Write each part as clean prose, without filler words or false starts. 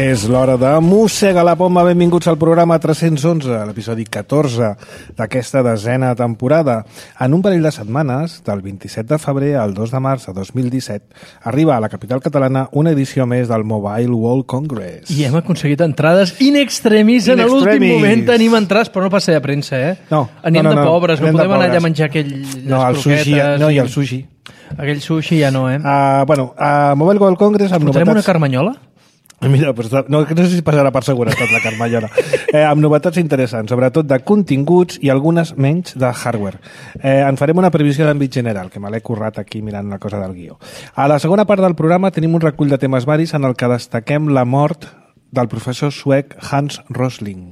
És l'hora de Mossega la Poma. Benvinguts al programa 311, l'episodi 14 d'aquesta desena temporada. En un parell de setmanes, del 27 de febrer al 2 de març de 2017, arriba a la capital catalana una edició més del Mobile World Congress. I hem aconseguit entrades in extremis. En l'últim moment tenim entrades, però no passa de premsa, eh? No. Anem de pobres, no podem anar allà a menjar aquelles croquetes. No, i el sushi. Aquell sushi ja no, eh? Mobile World Congress... Portarem una carmanyola? Mira, no sé si passarà per seguretat la carmanyola. Amb novetats interessants, sobretot de continguts i algunes menys de hardware. En farem una previsió d'àmbit general, que me l'he currat aquí mirant la cosa del guió. A la segona part del programa tenim un recull de temes varis en el que destaquem la mort del professor suec Hans Rosling.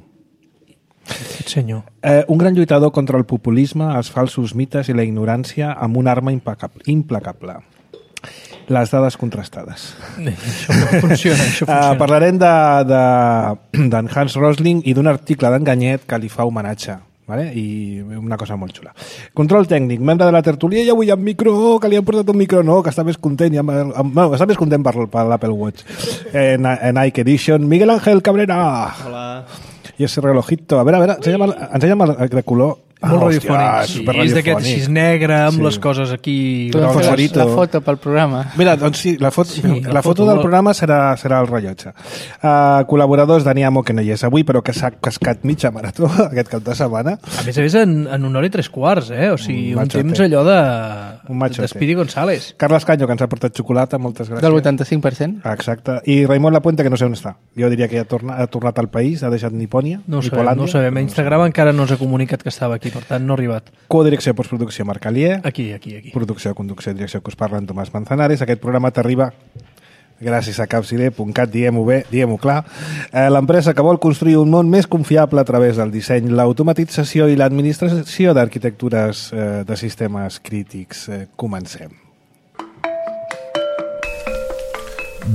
Senyor. Un gran lluitador contra el populisme, els falsos mites i la ignorància amb una arma implacable. Les dades contrastades. Això funciona. Parlarem d'en Hans Rosling i d'un article d'Enganyet que li fa homenatge. Vale? I una cosa molt xula. Control tècnic, membre de la tertúlia, i avui amb micro, que li han portat un micro, no, que està més content, està més content per l'Apple Watch. Nike Edition, Miguel Ángel Cabrera. Hola. I ese relojito, a veure, ensenya'm el de color. Molt radiofònic. Sí, és d'aquest així negre, amb les coses aquí... La foto pel programa. Mira, doncs sí, la foto del programa serà el rellotge. Col·laboradors Dani Amo, que no hi és avui, però que s'ha cascat mitja marató aquest cap de setmana. A més, en una hora i 3/4, eh? O sigui, un temps allò de Speedy González. Carles Canyo, que ens ha portat xocolata, moltes gràcies. Del 85%. Exacte. I Raimon Lapuente, que no sé on està. Jo diria que ja ha tornat al país, ha deixat Nipònia. No ho sabem. Instagram encara no ens ha comunicat que estava aquí, per tant no ha arribat. Codirecció, postproducció, Marc Alier. Aquí. Producció, conducció, direcció, que us parla en Tomàs Manzanares. Aquest programa t'arriba gràcies a Capside.cat, diguem-ho bé, diguem-ho clar. L'empresa que vol construir un món més confiable a través del disseny, l'automatització i l'administració d'arquitectures de sistemes crítics. Comencem.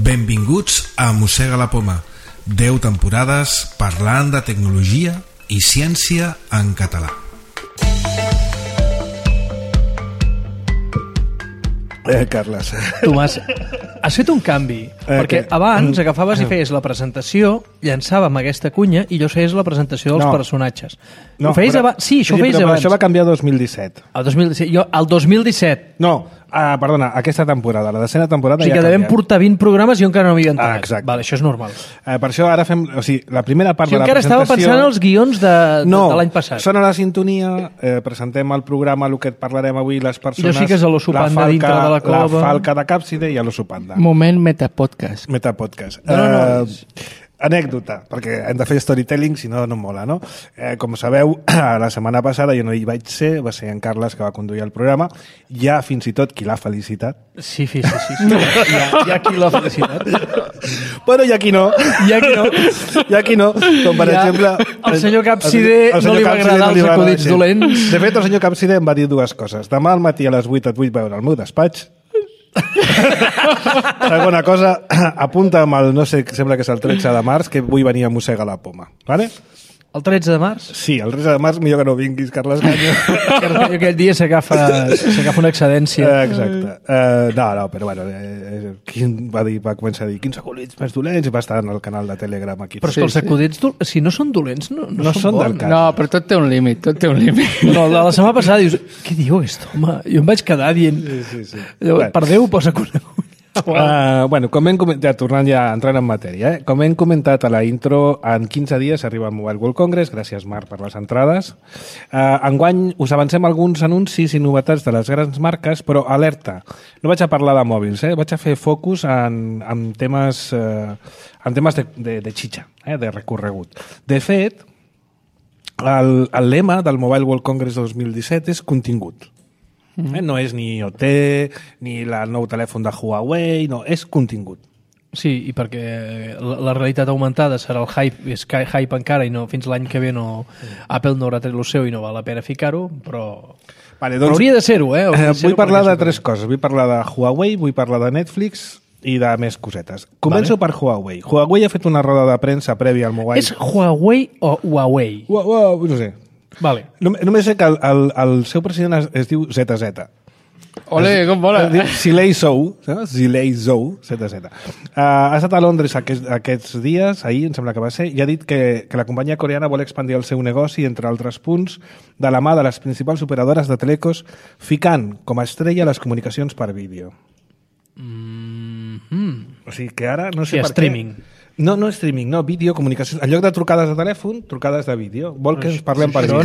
Benvinguts a Mossega la Poma. 10 temporades parlant de tecnologia i ciència en català. Carles. Tomàs, has fet un canvi, perquè abans agafaves i feies la presentació, llançàvem aquesta cunya i jo feies la presentació dels personatges. No, ho feies abans? Sí, això ho feies abans. Això va canviar el 2017. El 2017. Jo, el 2017. No, perdona, aquesta temporada, la desena temporada ja ha canviat. O sigui que devem portar 20 programes i jo encara no m'havia entrat. Exacte. Vale, això és normal. Per això ara fem... O sigui, la primera part de la presentació... Jo encara estava pensant en els guions de l'any passat. Sona la sintonia, presentem el programa, el que parlarem avui, les persones... I jo fiques a l'Oso Panda dintre de la cova... La falca de Capside i a l'Oso Panda. Moment metapodcast. Anècdota, perquè hem de fer storytelling, si no, no mola, no? Com sabeu, la setmana passada jo no hi vaig ser, va ser en Carles que va conduir el programa, hi ha fins i tot qui l'ha felicitat. Sí. Hi ha qui l'ha felicitat. Però hi ha qui no. Com per exemple... El senyor Capside no li va agradar els acudits dolents. De fet, el senyor Capside em va dir dues coses. Demà al matí a les 8 et vull veure al meu despatx. Segona cosa, apunta amb el, no sé, sembla que és el 13 de març, que vull venir a Mossega la Poma. Vale? El 13 de març? Sí, el 13 de març millor que no vinguis, Carles Canyo. Aquell dia s'agafa una excedència. Exacte. No, però bueno, va començar a dir quins acudits més dolents i va estar en el canal de Telegram aquí. Però és que els acudits, si no són dolents, no són del cas. No, però tot té un límit, No, la setmana passada dius, què diu aquest home? Jo em vaig quedar dient, per Déu posa conegut. Com hem comentat, entrant en matèria, com hem comentat a la intro, en 15 dies arriba el Mobile World Congress, gràcies Marc per les entrades. Enguany us avancem alguns anuncis i novetats de les grans marques, però alerta, no vaig a parlar de mòbils, vaig a fer focus en temes de xitxa, de recorregut. De fet, el lema del Mobile World Congress 2017 és contingut. No és ni OT, ni el nou telèfon de Huawei, no, és contingut. Sí, i perquè la realitat augmentada serà el hype, és hype encara i no, fins l'any que ve Apple no haurà tret el seu i no val la pena ficar-ho, però... Vale, però hauria de ser-ho, vull parlar de tres coses. Vull parlar de Huawei, vull parlar de Netflix i de més cosetes. Començo per Huawei. Huawei ha fet una roda de premsa prèvia al Mobile. És Huawei o Huawei? No sé. Vale. Només sé que el seu president es diu ZZ. Ole, com vola. Zilei Zhou, ZZ. Ha estat a Londres aquests dies, ahir em sembla que va ser, i ha dit que la companyia coreana vol expandir el seu negoci, entre altres punts, de la mà de les principals operadores de telecos, ficant com a estrella les comunicacions per vídeo. O sigui que ara no sé per streaming. què. No streaming, no, vídeo, comunicacions. En lloc de trucades de telèfon, trucades de vídeo. Vol que ens parlem per vídeo.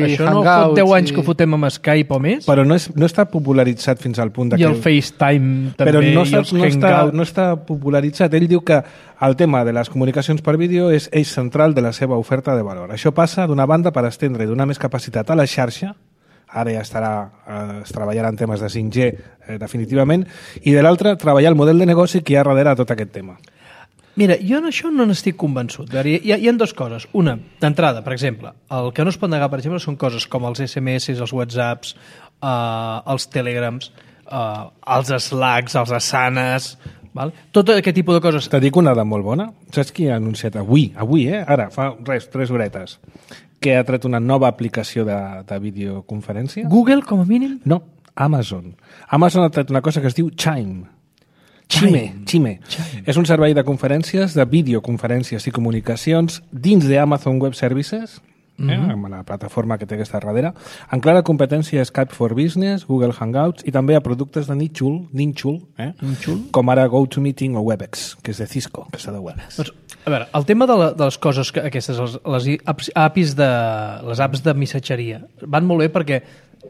Això no fot 10 anys que ho fotem amb Skype o més? Però no està popularitzat fins al punt I el FaceTime també, però i els Hangouts. No està popularitzat. Ell diu que el tema de les comunicacions per vídeo és eix central de la seva oferta de valor. Això passa d'una banda per estendre i donar més capacitat a la xarxa, ara ja es treballarà en temes de 5G definitivament, i de l'altra treballar el model de negoci que hi ha darrere de tot aquest tema. Mira, jo en això no n'estic convençut. Hi ha dues coses. Una, d'entrada, per exemple, el que no es pot negar, per exemple, són coses com els SMS, els WhatsApps, els Telegrams, els Slacks, els Asanes, val? Tot aquest tipus de coses. Te dic una de molt bona. Saps qui ha anunciat avui, ara, fa 3 horetes, que ha tret una nova aplicació de videoconferència? Google, com a mínim? No, Amazon. Amazon ha tret una cosa que es diu Chime. És un servei de conferències, de videoconferències i comunicacions dins d'Amazon Web Services, amb la plataforma que té aquesta darrere, en clara competència Skype for Business, Google Hangouts i també a productes de Ninchul, com ara GoToMeeting o Webex, que és de Cisco, que és de Webex. Doncs, a veure, el tema de les coses aquestes, les apps de missatgeria, van molt bé perquè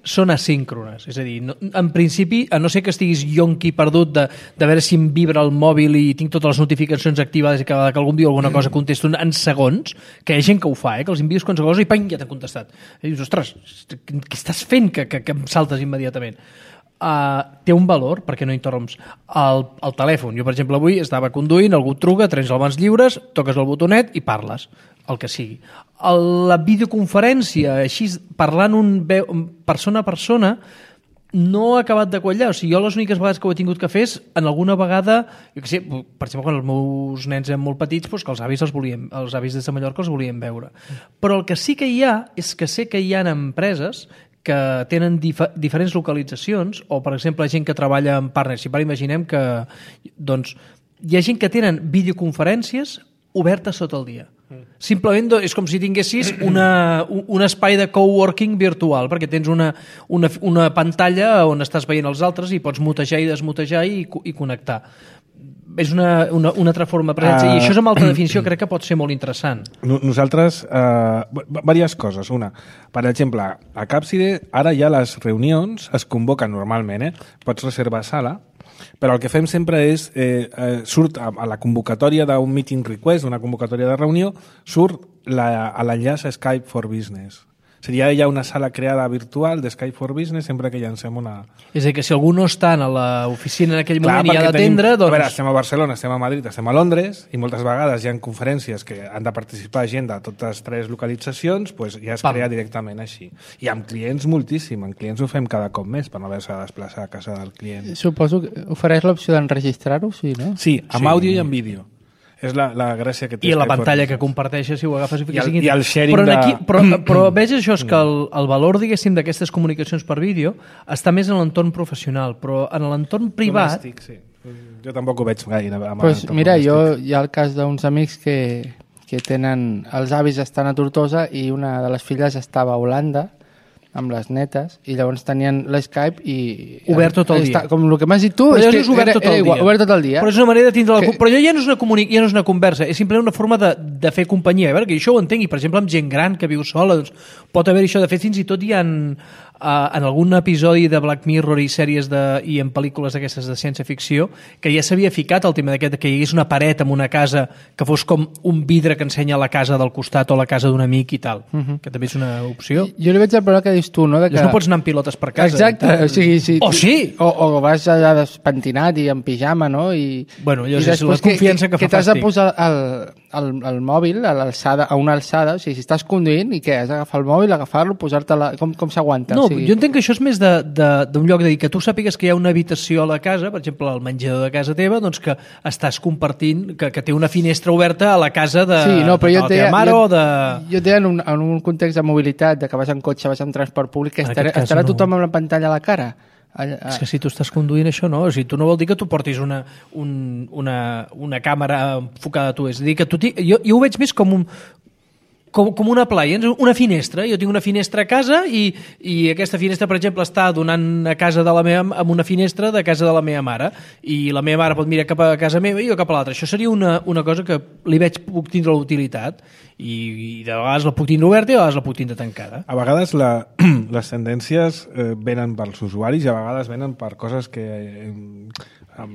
són asíncrones, és a dir, en principi, a no ser que estiguis yonqui perdut de veure si em vibra el mòbil i tinc totes les notificacions activades i que algun diu alguna cosa contesto en segons, que hi ha gent que ho fa, que els envies qualsevol cosa i pam, ja t'ha contestat. I dius, ostres, què estàs fent que em saltes immediatament? Té un valor perquè no interromps el telèfon. Jo, per exemple, avui estava conduint, algú et truca, tens les mans lliures, toques el botonet i parles, el que sigui. La videoconferència, així, parlant persona a persona, no ha acabat de quallar. O sigui, jo les úniques vegades que ho he tingut que fer és en alguna vegada, jo què sé, per exemple, quan els meus nens eren molt petits, doncs que els avis des de Mallorca els volien veure. Però el que sí que hi ha és que sé que hi ha empreses que tenen diferents localitzacions, o, per exemple, gent que treballa en partnership. Ara imaginem que doncs, hi ha gent que tenen videoconferències obertes tot el dia. Simplement és com si tinguessis un espai de coworking virtual, perquè tens una pantalla on estàs veient els altres i pots mutejar i desmutejar i connectar. És una altra forma de presència, i això és amb alta definició, crec que pot ser molt interessant. Nosaltres, diverses coses. Una, per exemple, a Capside, ara ja les reunions es convoquen normalment, pots reservar sala, però el que fem sempre és, surt a la convocatòria d'un meeting request, una convocatòria de reunió, surt l'enllaç a Skype for Business. Seria ja una sala creada virtual de Skype for Business sempre que llancem una... És a dir, que si algú no està a l'oficina en aquell moment i ha d'atendre, doncs... A veure, estem a Barcelona, estem a Madrid, estem a Londres, i moltes vegades hi ha conferències que han de participar gent de totes 3 localitzacions, doncs ja es crea directament així. I amb clients moltíssim, amb clients ho fem cada cop més per no haver-se de desplaçar a casa del client. Suposo que ofereix l'opció d'enregistrar-ho, sí, no? Sí, amb àudio i amb vídeo. És la gràcia que té. I la pantalla que comparteixes, si ho agafes... I el sharing però veig això, és que el valor, diguéssim, d'aquestes comunicacions per vídeo està més en l'entorn professional, però en l'entorn privat... Domèstic, sí. Jo tampoc ho veig gaire. Pues mira, hi ha el cas d'uns amics que tenen... Els avis estan a Tortosa i una de les filles estava a Holanda amb les netes, i llavors tenien l'Skype i... Obert tot el dia. Com el que m'has dit tu, és que obert tot el dia. Però és una manera de tindre Però ja no és una conversa, és simplement una forma de fer companyia. A veure, que això ho entenc, i per exemple amb gent gran que viu sola, doncs, pot haver això de fet, fins i tot hi ha en algun episodi de Black Mirror i sèries i en pel·lícules d'aquestes de ciència-ficció, que ja s'havia ficat el tema d'aquest, que hi hagués una paret en una casa que fos com un vidre que ensenya la casa del costat o la casa d'un amic i tal, que també és una opció. Jo li veig el problema que dius tu, no? De que... No pots anar amb pilotes per casa. Exacte, o sigui, sí. Sí! O vas allà despentinat i en pijama, no? Bueno, allò és la confiança que fa t'has de fàstic. posar el mòbil a una alçada, o sigui, si estàs conduint i què, has d'agafar el mòbil, agafar-lo, posar-te-la... Com s'aguanta? No, o sigui... jo entenc que això és més d'un lloc de dir que tu sàpigues que hi ha una habitació a la casa, per exemple, al menjador de casa teva, doncs que estàs compartint, que té una finestra oberta a la casa de la teva mare o de... Jo et deia en un context de mobilitat, de que vas en cotxe, vas en transport públic, que estarà tothom amb la pantalla a la cara. És que si tu estàs conduint això, no? O sigui, tu no vol dir que tu portis una càmera enfocada a tu. És a dir, que jo ho veig més com una plaia, una finestra. Jo tinc una finestra a casa i aquesta finestra, per exemple, està donant a casa amb una finestra de casa de la meva mare, i la meva mare pot mirar cap a casa meva i jo cap a l'altra. Això seria una cosa que puc tindre l'utilitat, i de vegades la puc tindre oberta i de vegades la puc tindre tancada. A vegades les tendències venen pels usuaris i a vegades venen per coses que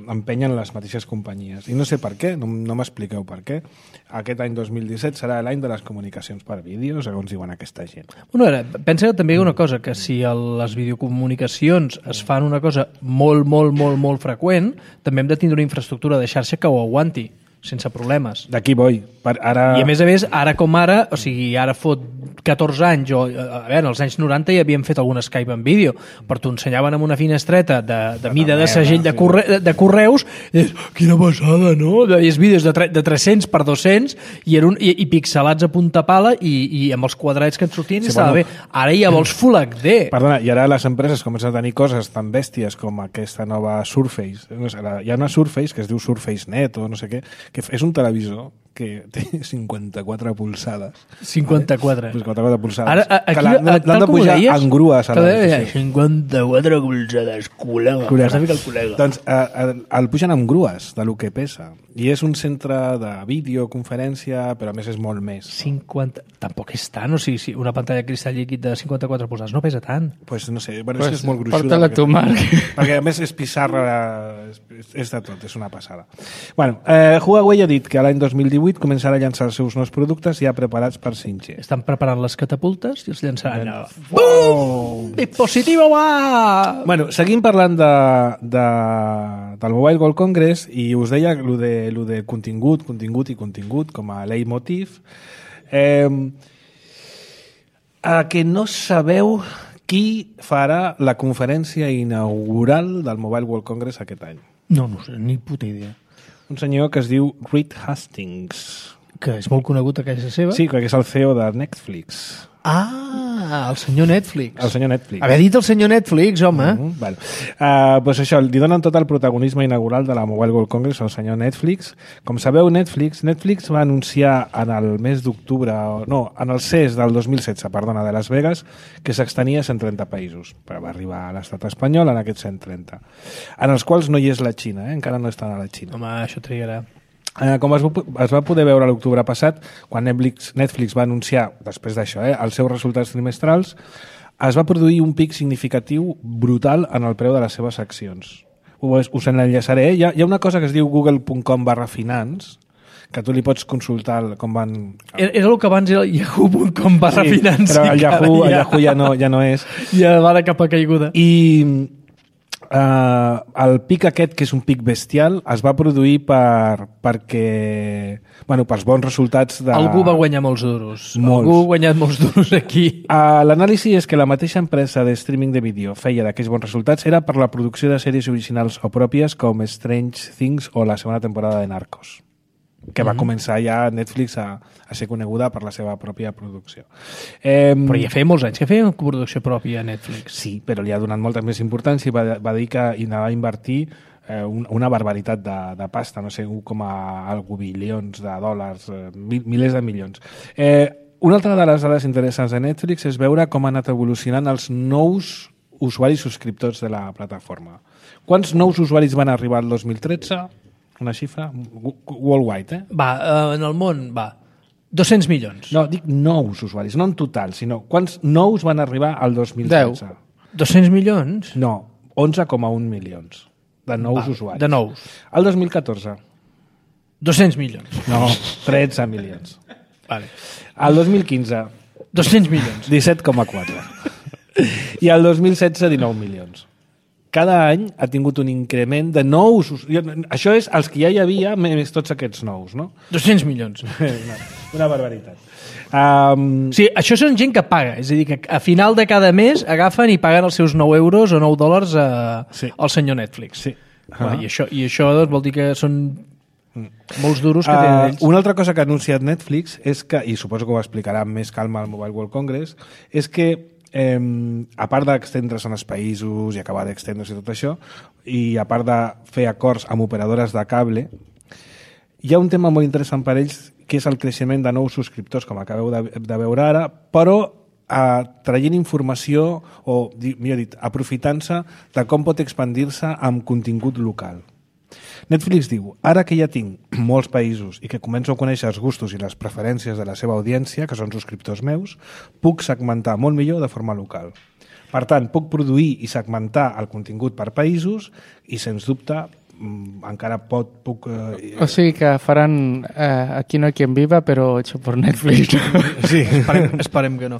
empenyen les mateixes companyies. I no sé per què, no m'expliqueu per què. Aquest any 2017 serà l'any de les comunicacions per vídeo, segons diuen aquesta gent. Bueno, pensa també una cosa, que si les videocomunicacions es fan una cosa molt, molt, molt, molt freqüent, també hem de tindre una infraestructura de xarxa que ho aguanti, sense problemes. D'aquí vull. I a més, ara com ara, o sigui, ara fot 14 anys, o a veure, als anys 90 ja havíem fet algun Skype en vídeo, però t'ho ensenyaven amb una finestreta de mida de segell de correus, i dius, quina passada, no? És vídeos de 300 per 200 i pixelats a punta pala i amb els quadrats que et sortien, estava bé. Ara ja vols Full HD. Perdona, i ara les empreses comencen a tenir coses tan bèsties com aquesta nova Surface. Hi ha una Surface que es diu Surface Net o no sé què, que és un televisor que té 54 polzades. 54. 54 polzades. Ara, aquí, l'han de pujar en grues a la 54 polzades, col·lega. Has de ficar el col·lega. Doncs el pugen amb grues de lo que pesa. I és un centre de videoconferència, però a més és molt més. 50... Tampoc és tant, o sigui, una pantalla de cristall líquid de 54 polzades no pesa tant. Pues no sé, bueno, és que és molt gruixuda. Porta-la tu, Marc. Perquè a més és pissarra, és de tot, és una passada. Bueno, Huawei ha dit que l'any 2018 començarà a llançar els seus nous productes ja preparats per 5G. Estan preparant les catapultes i els llançaran. Bum! Dispositivo va! Bueno, seguim parlant del Mobile World Congress i us deia lo de contingut com a leitmotiv. Que no sabeu qui farà la conferència inaugural del Mobile World Congress aquest any. No sé, ni puta idea. Un senyor que es diu Reed Hastings. Que és molt conegut a casa seva? Sí, que és el CEO de Netflix. El senyor Netflix. El senyor Netflix. Haver dit el senyor Netflix, home. Bueno. Pues això, li donen tot el protagonisme inaugural de la Mobile World Congress al senyor Netflix. Com sabeu, Netflix va anunciar en el mes d'octubre, en el CES del 2016, de Las Vegas, que s'extenia a 130 països. Però va arribar a l'estat espanyol en aquests 130, en els quals no hi és la Xina, encara no estan a la Xina. Home, això trigarà. Com es va poder veure l'octubre passat, quan Netflix va anunciar, després d'això, els seus resultats trimestrals, es va produir un pic significatiu brutal en el preu de les seves accions. Us enllaçaré. Hi ha una cosa que es diu google.com/finance, que tu li pots consultar com van... Era el que abans era yahoo.com/finance. Sí, però el Yahoo ja no és. Ja va de capa caiguda. I el pic aquest, que és un pic bestial, es va produir perquè pels bons resultats de... Algú va guanyar molts duros. Molts. Algú ha guanyat molts duros aquí. L'anàlisi és que la mateixa empresa de streaming de vídeo feia d'aquells bons resultats era per la producció de sèries originals o pròpies com Strange Things o la segona temporada de Narcos, que va començar ja Netflix a ser coneguda per la seva pròpia producció. Però ja feia molts anys que feia producció pròpia a Netflix. Sí, però li ha donat molta més importància i va dir que hi anava a invertir una barbaritat de pasta, no sé, 1,algo bilions de dòlars, milers de milions. Una altra de les dades interessants de Netflix és veure com han anat evolucionant els nous usuaris subscriptors de la plataforma. Quants nous usuaris van arribar el 2013? Una xifra worldwide, en el món, 200 milions. No, dic nous usuaris, no en total, sinó quants nous van arribar al 2013? 200 milions? No, 11,1 milions de nous usuaris. De nous. El 2014. 200 milions. No, 13 milions. Vale. El 2015, 200 milions. 17,4. I el 2016, 19 milions. Cada any ha tingut un increment de nous... Això és els que ja hi havia, més tots aquests nous, no? 200 milions. Una barbaritat. Sí, això són gent que paga. És a dir, que a final de cada mes agafen i paguen els seus 9 euros o 9 dòlars al senyor Netflix. Sí. I això doncs, vol dir que són molts duros que tenen ells. Una altra cosa que ha anunciat Netflix és que, i suposo que ho explicarà amb més calma al Mobile World Congress, és que a part d'extendre's en els països i acabar d'extendre's i tot això, i a part de fer acords amb operadores de cable, hi ha un tema molt interessant per ells, que és el creixement de nous subscriptors, com acabeu de veure ara, però traient informació, o millor dit, aprofitant-se de com pot expandir-se amb contingut local. Netflix diu, ara que ja tinc molts països i que començo a conèixer els gustos i les preferències de la seva audiència, que són subscriptors meus, puc segmentar molt millor de forma local. Per tant, puc produir i segmentar el contingut per països i, sens dubte, encara puc... O sigui que faran Aquí no hay quien viva, però hecho por Netflix. Sí. Esperem que no.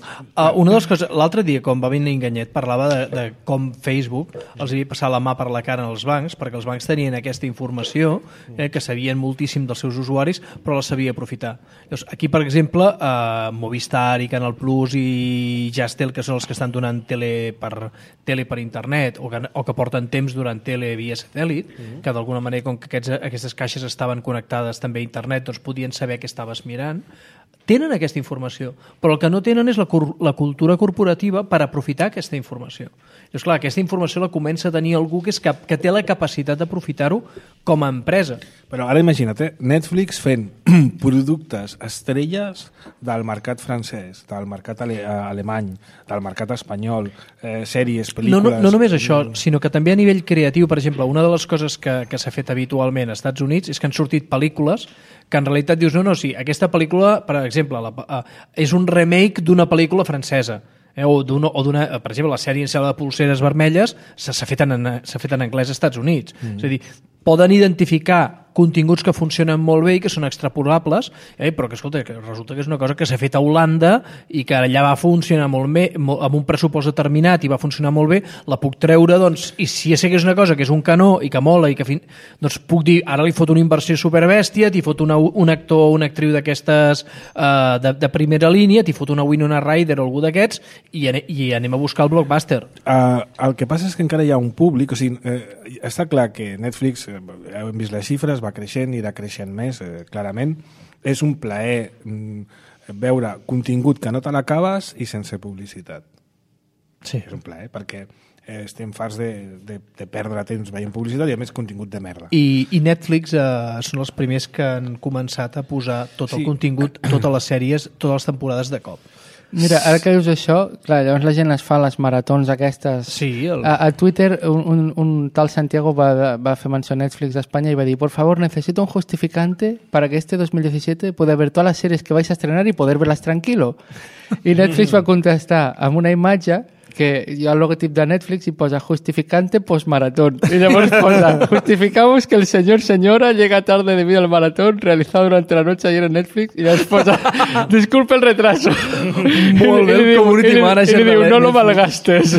Una de les coses, l'altre dia, quan va venir Enganyet, parlava de com Facebook els havia passat la mà per la cara als bancs, perquè els bancs tenien aquesta informació que sabien moltíssim dels seus usuaris, però la sabia aprofitar. Llavors, aquí, per exemple, Movistar i Canal Plus i Jastel, que són els que estan donant tele per internet o que porten temps durant tele via satèl·lit, que d'alguna manera, com que aquestes caixes estaven connectades també a internet, doncs podien saber què estaves mirant. Tenen aquesta informació, però el que no tenen és la cultura corporativa per aprofitar aquesta informació. Llavors, clar, aquesta informació la comença a tenir algú que té la capacitat d'aprofitar-ho com a empresa. Però ara imagina't, Netflix fent productes estrelles del mercat francès, del mercat alemany, del mercat espanyol, sèries, pel·lícules... No només això, sinó que també a nivell creatiu, per exemple, una de les coses que s'ha fet habitualment als Estats Units és que han sortit pel·lícules que en realitat dius, sí, aquesta pel·lícula, per exemple, és un remake d'una pel·lícula francesa, o d'una, per exemple, la sèrie de Polseres Vermelles s'ha fet en anglès als Estats Units. És a dir, poden identificar continguts que funcionen molt bé i que són extrapolables, però que, escolta, que resulta que és una cosa que s'ha fet a Holanda i que allà va funcionar molt bé, amb un pressupost determinat i va funcionar molt bé, la puc treure, doncs, i si ja sé que és una cosa que és un canó i que mola, i que doncs puc dir, ara li fot una inversió superbèstia, t'hi fot un actor o una actriu d'aquestes de primera línia, t'hi fot una Winona Ryder o algú d'aquests, i anem a buscar el blockbuster. El que passa és que encara hi ha un públic, o sigui, està clar que Netflix, hem vist les xifres, va creixent i irà creixent més, clarament. És un plaer veure contingut que no te l'acabes i sense publicitat. Sí. És un plaer, perquè estem farts de perdre temps veient publicitat i a més contingut de merda. I Netflix són els primers que han començat a posar tot el contingut, totes les sèries, totes les temporades de cop. Mira, ara que dius això, clar, llavors la gent es fa les maratons aquestes. Sí. A Twitter un tal Santiago va fer menció a Netflix d'Espanya i va dir, por favor, necesito un justificante para que este 2017 pueda ver todas las series que vais a estrenar y poder verlas tranquilo. I Netflix va contestar amb una imatge que hi ha el logotip de Netflix i posa justificante post-maratón. Y llavors posa, justificamos que el señora llega tarde debido al maratón realizado durante la noche ayer en Netflix, y llavors posa, disculpe el retraso. Molt bé, el community manager. I li diu, no lo malgastes.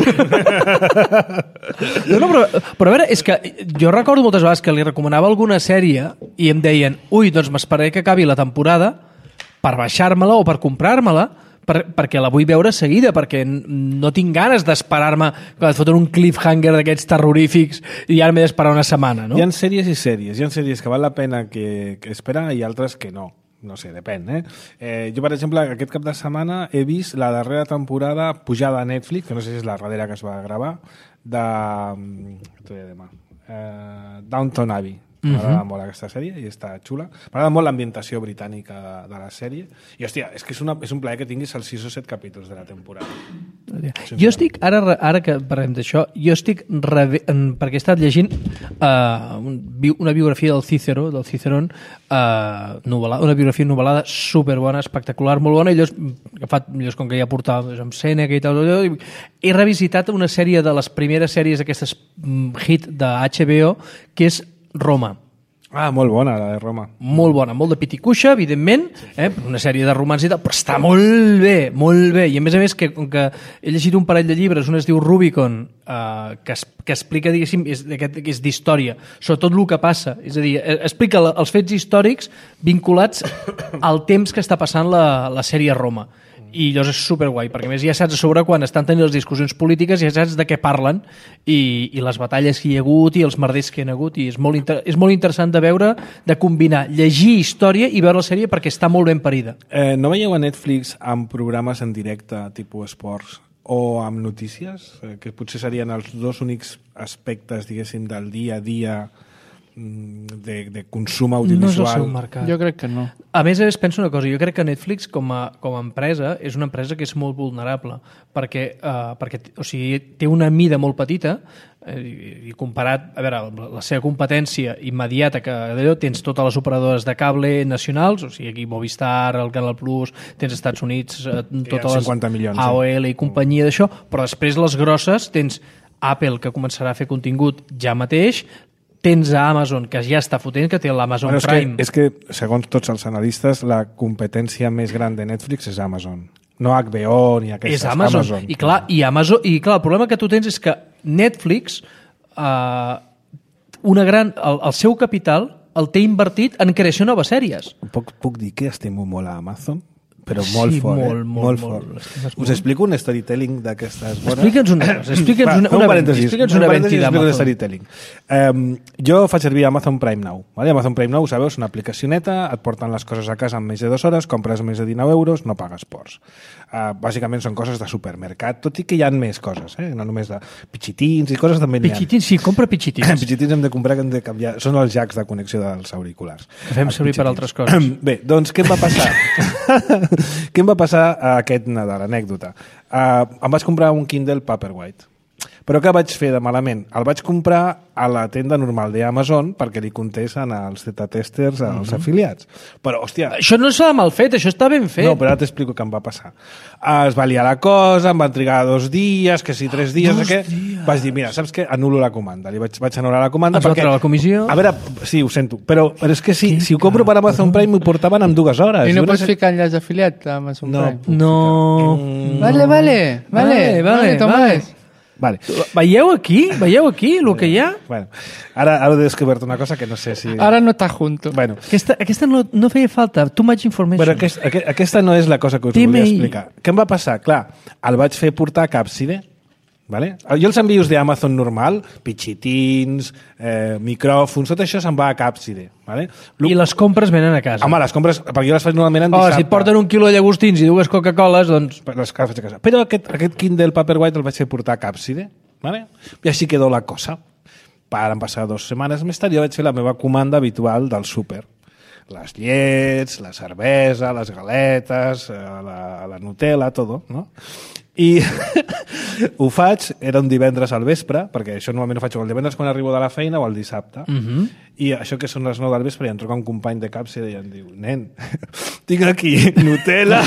No, però a veure, és que jo recordo moltes vegades que li recomanava alguna sèrie i em deien, ui, doncs m'esperaré que acabi la temporada per baixar-me-la o per comprar-me-la, perquè la vull veure seguida, perquè no tinc ganes d'esperar-me que et foten un cliffhanger d'aquests terrorífics i ara m'he d'esperar una setmana, no? Hi ha sèries i sèries. Hi ha sèries que val la pena que esperar i altres que no. No sé, depèn, jo, per exemple, aquest cap de setmana he vist la darrera temporada pujada a Netflix, que no sé si és la darrera que es va gravar, de Downton Abbey. M'agrada molt aquesta sèrie i està xula. M'agrada molt l'ambientació britànica de la sèrie. I, hòstia, és que és un plaer que tinguis els 6 o 7 capítols de la temporada. Jo estic, ara que parlem d'això, perquè he estat llegint una biografia del Cicerón, una biografia novel·lada superbona, espectacular, molt bona, i llavors, com que ja portava amb Sèneca i tal, he revisitat una sèrie de les primeres sèries aquestes hit de HBO, que és Roma. Ah, molt bona, la de Roma. Molt bona, molt de piticuixa, evidentment, una sèrie de romans i tal, però està molt bé, molt bé. I a més, com que he llegit un parell de llibres, un es diu Rubicon, que explica, diguéssim, és d'història, sobretot el que passa. És a dir, explica els fets històrics vinculats al temps que està passant la sèrie Roma. I llavors és superguai, perquè a més ja saps a sobre quan estan tenint les discussions polítiques, ja saps de què parlen i les batalles que hi ha hagut i els merders que hi ha hagut, i és molt interessant de veure, de combinar, llegir història i veure la sèrie perquè està molt ben parida. No veieu a Netflix amb programes en directe, tipus esports, o amb notícies, que potser serien els dos únics aspectes, diguéssim, del dia a dia de consum audiovisual? No és el seu mercat. Jo crec que no. A més penso una cosa, jo crec que Netflix com a empresa és una empresa que és molt vulnerable perquè o sigui, té una mida molt petita i comparat, a veure, la seva competència immediata, que d'allò tens totes les operadores de cable nacionals, o sigui, aquí Movistar, el Canal Plus, tens Estats Units, totes les 50 milions, AOL i companyia d'això, però després les grosses tens Apple, que començarà a fer contingut ja mateix, tens a Amazon, que ja està fotent, que té l'Amazon Prime. És que, segons tots els analistes, la competència més gran de Netflix és Amazon. No HBO ni aquestes. És Amazon. I clar, el problema que tu tens és que Netflix, el seu capital el té invertit en creació de noves sèries. Puc dir que estimo molt a Amazon? Però molt fort, molt fort. Us explico un storytelling d'aquestes bones. Explica'ns una parèntesi d'Amazon. Jo faig servir Amazon Prime Now. Amazon Prime Now, sabeu, és una aplicació neta, et porten les coses a casa en més de 2 hores, compres més de 19 euros, no pagues ports. Bàsicament són coses de supermercat, tot i que hi ha més coses, no només de pitxitins i coses també n'hi ha. Pitxitins, sí, compra pitxitins. Pitxitins hem de comprar, que hem de canviar. Són els jacks de connexió dels auriculars. Que fem servir per altres coses. Bé, doncs què em va passar? Què em va passar aquest Nadal? Anècdota. Em vaig comprar un Kindle Paperwhite. Però què vaig fer de malament? El vaig comprar a la tenda normal d'Amazon perquè li contesten als beta-testers, als afiliats. Però, hòstia... Això no s'ha mal fet, això està ben fet. No, però ara t'explico què em va passar. Es va liar la cosa, em van trigar 2 dies, que si 3 dies... Vaig dir, mira, saps què? Anulo la comanda. Li vaig anul·lar la comanda perquè... Has la comissió? A veure, sí, ho sento. Però és que si ho compro per Amazon Prime m'ho portaven en 2 hores. I no pots ficar enllaç afiliat a Amazon Prime? No. Vale, Tomàs. Vale. Veieu aquí el que hi ha? Bueno, ara he descobert una cosa que no sé si... Ara no t'ajunto. Bueno. Aquesta no feia falta. Too much information. Però aquesta no és la cosa que us volia explicar. Què em va passar? Clar, el vaig fer portar a Capside, vale? Jo els envios d'Amazon normal, pitxitins, micròfons, tot això se'n va a Capside. Vale? I les compres venen a casa. Home, les compres, perquè jo les faig normalment en dissabte. Si et porten 1 quilo de llagostins i 2 Coca-Coles, doncs... Les faig a casa. Però aquest Kindle Paperwhite el vaig fer portar a Capside, vale? I així quedó la cosa. Van passar 2 setmanes més tard, jo vaig fer la meva comanda habitual del súper. Les llets, la cervesa, les galetes, la Nutella, tot, no? I ho faig, era un divendres al vespre, perquè això normalment ho faig el divendres quan arribo de la feina o el dissabte, i això que són les 9 del vespre i em truca un company de Capside i em diu, nen, tinc aquí Nutella.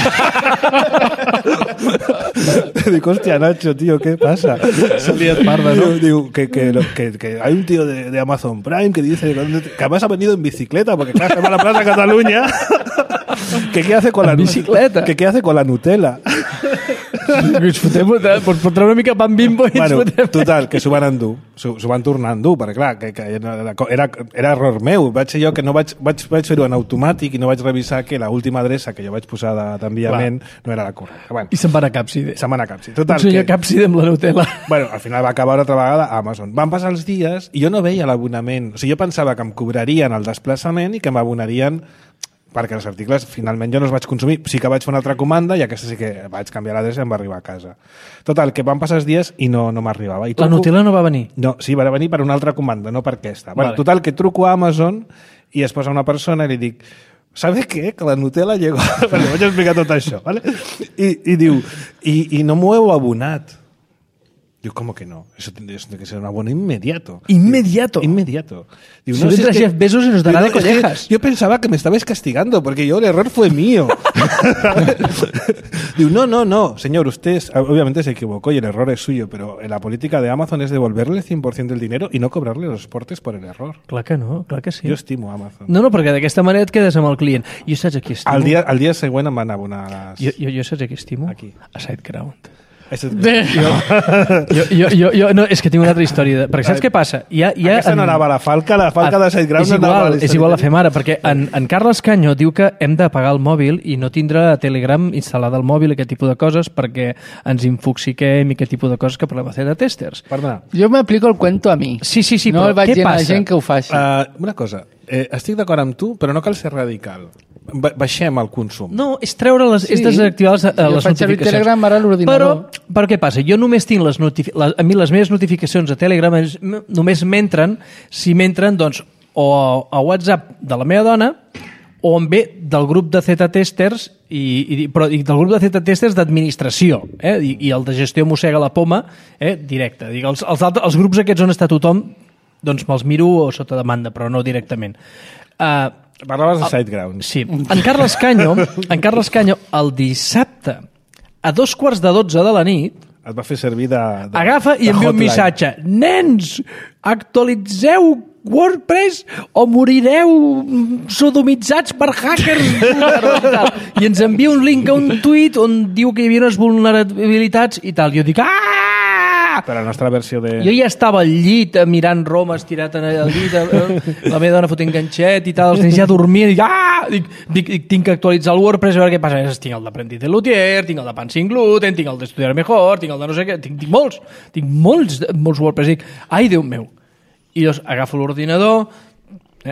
Dic, hòstia, Nacho, tío, ¿qué pasa? Se li et parda, no? Diu que hay un tío de Amazon Prime que dice que además ha venido en bicicleta, porque claro, se va a la Plaza Cataluña. que qué hace con la bicicleta? Que qué hace con la Nutella. Pots fotre una mica pan Bimbo i bueno, total, que s'ho van endur, s'ho van tornar a endur, perquè clar, que era error meu, vaig ser jo que no vaig fer-ho en automàtic i no vaig revisar que l'última adreça que jo vaig posar d'enviament no era la correcta. Bueno, i se'n van a Capside. Total, un senyor Capside amb la Nutella. Bueno, al final va acabar una altra vegada a Amazon. Van passar els dies i jo no veia l'abonament, o sigui, jo pensava que em cobrarien el desplaçament i que m'abonarien perquè els articles finalment jo no els vaig consumir. Sí que vaig fer una altra comanda i aquesta sí que vaig canviar l'adreça i em va arribar a casa. Total, que van passar els dies i no m'arribava. I La Nutella no va venir? No, sí, va venir per una altra comanda, no per aquesta. Bueno, Vale. total, que truco a Amazon i es posa una persona i li dic ¿sabe qué? Que la Nutella llegó... Li vaig explicar tot això, ¿vale? I diu, i no m'ho heu abonat. Diu, ¿cómo que no? Eso tiene que ser un abono inmediato. Inmediato. Inmediato. Diu, Si entra Jeff Bezos y nos dará de collejas. Yo pensaba que me estabais castigando porque el error fue mío. Diu, no, señor, usted obviamente se equivocó y el error es suyo, pero la política de Amazon es devolverle el 100% del dinero y no cobrarle los portes por el error. Clar que no, clar que sí. Jo estimo Amazon. No, perquè d'aquesta manera et quedes amb el client. Jo saps a qui estimo? Al dia següent em van abonar les... Jo saps a qui estimo? Aquí. A SiteGround. No, és que tinc una altra història. Perquè saps què passa? Aquesta no anava a la falca de SiteGround no anava a la És igual, la fem ara, perquè en Carles Canyo diu que hem de pagar el mòbil i no tindre Telegram instal·lada al mòbil, aquest tipus de coses, perquè ens infoxiquem i aquest tipus de coses que parlem a de testers. Perdona. Jo me aplico el cuento a mi. Sí, no però el vaig què dir a la passa? gent que ho faci. Una cosa, estic d'acord amb tu, però no cal ser radical. Baixem el consum. No, és treure és desactivar les Jo faig servir notificacions. Telegram ara a l'ordinador. Però què passa? Jo només tinc a mi les meves notificacions a Telegram només m'entren si m'entren doncs, o a WhatsApp de la meva dona o em ve del grup de Z-testers però del grup de Z-testers d'administració i el de gestió mossega la poma directe. Els grups aquests on està tothom doncs me'ls miro sota demanda, però no directament. Parlaves de SiteGround. Sí. En Carles Canyo, el dissabte, a 2:15 de la nit, Et va fer servir de agafa i envia un hotline. missatge. Nens, actualitzeu WordPress o morireu sodomitzats per hackers. I ens envia un link a un tuit on diu que hi havia unes vulnerabilitats i tal. Jo dic, Per la nostra versió de... Jo ja estava al llit mirant Roma estirat al llit, la meva dona fotent ganxet i tal, els nens ja dormien, i dic, tinc que actualitzar el WordPress, a veure què passa. Tinc el d'Aprendiz de Luthier, tinc el de Pan Sin Gluten, tinc el d'Estudiar Mejor, tinc el de no sé què, tinc molts WordPress. Dic, ai, Déu meu. I llavors agafo l'ordinador,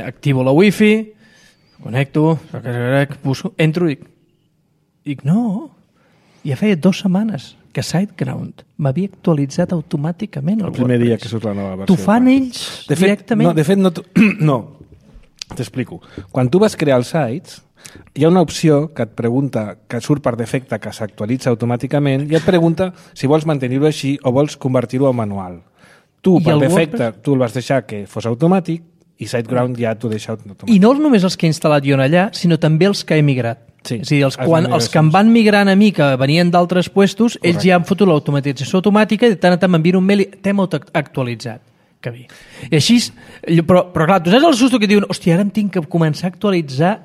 activo la wifi, connecto, busco, entro i dic, no, ja feia 2 setmanes que SiteGround m'havia actualitzat automàticament el primer dia WordPress. que surt la nova versió. T'ho fan ells directament? De fet, no. No, t'explico. Quan tu vas crear els sites, hi ha una opció que et pregunta, que surt per defecte, que s'actualitza automàticament, i et pregunta si vols mantenir-ho així o vols convertir-ho a manual. Tu, I per el defecte, WordPress? tu el vas deixar que fos automàtic i SiteGround ja t'ho deixa automàtic. I no només els que he instal·lat jo allà, sinó també els que he migrat. Sí, és a dir, els que migracions. em van migrant a mi, que venien d'altres puestos, ells ja han fotut l'automatització automàtica i de tant en tant m'envien un mail i t'hem actualitzat. Que bé. I així, però clar, tu saps el susto que diuen, hòstia, ara em tinc que començar a actualitzar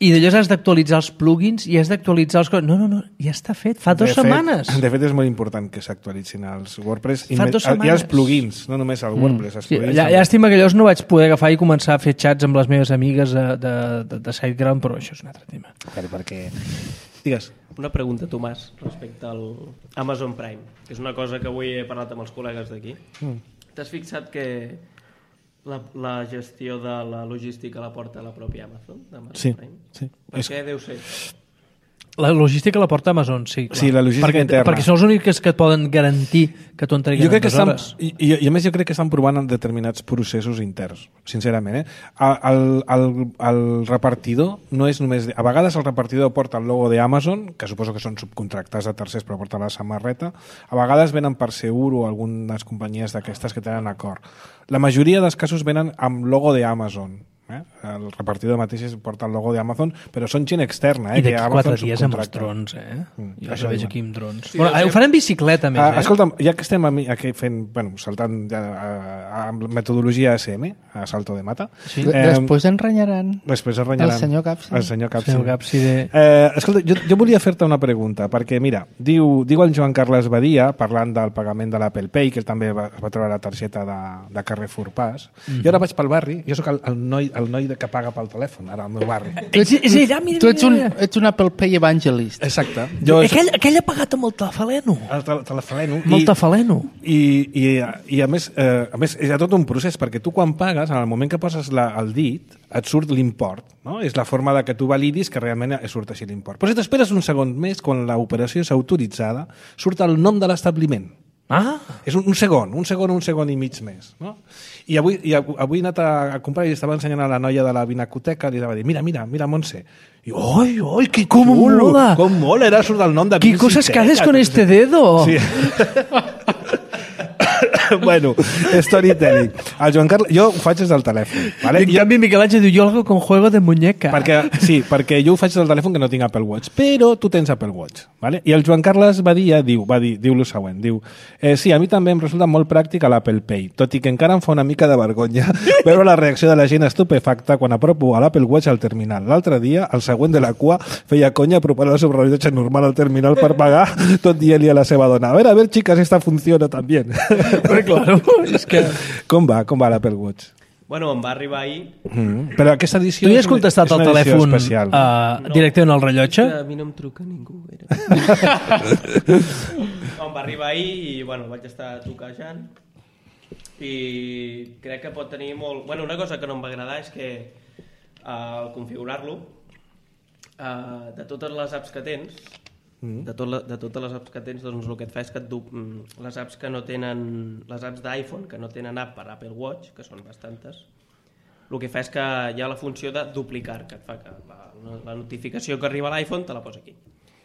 i d'allò has d'actualitzar els plugins i has d'actualitzar els coses. No, ja està fet, fa 2 setmanes. De fet, és molt important que s'actualitzin els WordPress Fa 2 setmanes. i els plugins, no només el WordPress. Els Sí, plugins llàstima que llavors no vaig poder agafar i començar a fer xats amb les meves amigues de SiteGround, però això és un altre tema. perquè... Digues. Una pregunta, Tomàs, respecte al Amazon Prime, que és una cosa que avui he parlat amb els col·legues d'aquí. T'has fixat que la gestió de la logística la porta la pròpia Amazon? Sí, Prime? sí. Per què deu ser? La logística la porta Amazon, sí. Clar. Sí, la logística interna. Perquè són els únics que et poden garantir que t'ho entreguen Jo crec que en 2 hores. I a més jo crec que estan provant en determinats processos interns, sincerament. El repartidor no és només... A vegades el repartidor porta el logo d'Amazon, que suposo que són subcontractats de tercers però porta la samarreta. A vegades venen per Segur o algunes companyies d'aquestes que tenen acord. La majoria dels casos venen amb logo d'Amazon. El repartidor mateix porta el logo d'Amazon, però són gent externa. I d'aquí que 4 Amazon dies amb els subcontracta. drons, Jo això ja veig diuen. aquí amb drons. Sí, bueno, ho fan en bicicleta, més, Escolta'm, ja que estem aquí fent, saltant amb metodologia SM, a salto de mata, Sí. Després ens renyaran després es renyaran. el senyor Capsi. El senyor Capsi. Senyor Capsi de... Escolta, jo volia fer-te una pregunta, perquè mira, diu el Joan Carles Badia, parlant del pagament de l'Apple Pay, que ell també va treure la targeta de Carrefour Pass, i ara vaig pel barri, jo sóc el el noi que paga pel telèfon, ara al meu barri. És allà, mira, Tu ets un Apple Pay evangelist. Exacte. Aquell ha pagat amb el tafaleno. El telefaleno. Amb el tafaleno. I a més, hi ha tot un procés, perquè tu quan pagues, en el moment que poses el dit, et surt l'import. No? És la forma de que tu validis que realment surt així l'import. Però si t'esperes un segon més, quan l'operació és autoritzada, surt el nom de l'establiment. És un segon i mig més. No? I avui he anat a comprar i estava ensenyant a la noia de la vinacoteca i li va dir, mira, Montse. I oi, que com xulo, mola. com mola, era surt el nom de ¿Qué cosas que haces con este dedo? Sí. Bueno, storytelling. El Joan Carles, jo ho faig des del telèfon. Vale? En canvi, Miquel Àngel diu, jo algo con juego de muñeca. Perquè jo ho faig des del telèfon que no tinc Apple Watch, però tu tens Apple Watch. Vale? I el Joan Carles diu el següent, sí, a mi també em resulta molt pràctic l'Apple Pay, tot i que encara em fa una mica de vergonya veure la reacció de la gent estupefacta quan apropo a l'Apple Watch al terminal. L'altre dia, el següent de la cua feia conya apropant el seu rellotge normal al terminal per pagar, tot dient-li a la seva dona, a ver, chicas, esta funciona també. Claro, és que... Com va l'Apple Watch? Bueno, em va arribar ahir... Però aquesta edició... Tu ja has contestat al telèfon directament al rellotge? A mi no em truca ningú. Em va arribar ahir i bueno, vaig estar toquejant i crec que pot tenir molt... Bueno, una cosa que no em va agradar és que al configurar-lo de totes les apps que tens de totes les apps que tens, doncs el que et fa és que les apps que no tenen, les apps d'iPhone que no tenen app per Apple Watch, que són bastantes, el que fa és que hi ha la funció de duplicar, que et fa que la notificació que arriba a l'iPhone te la posa aquí.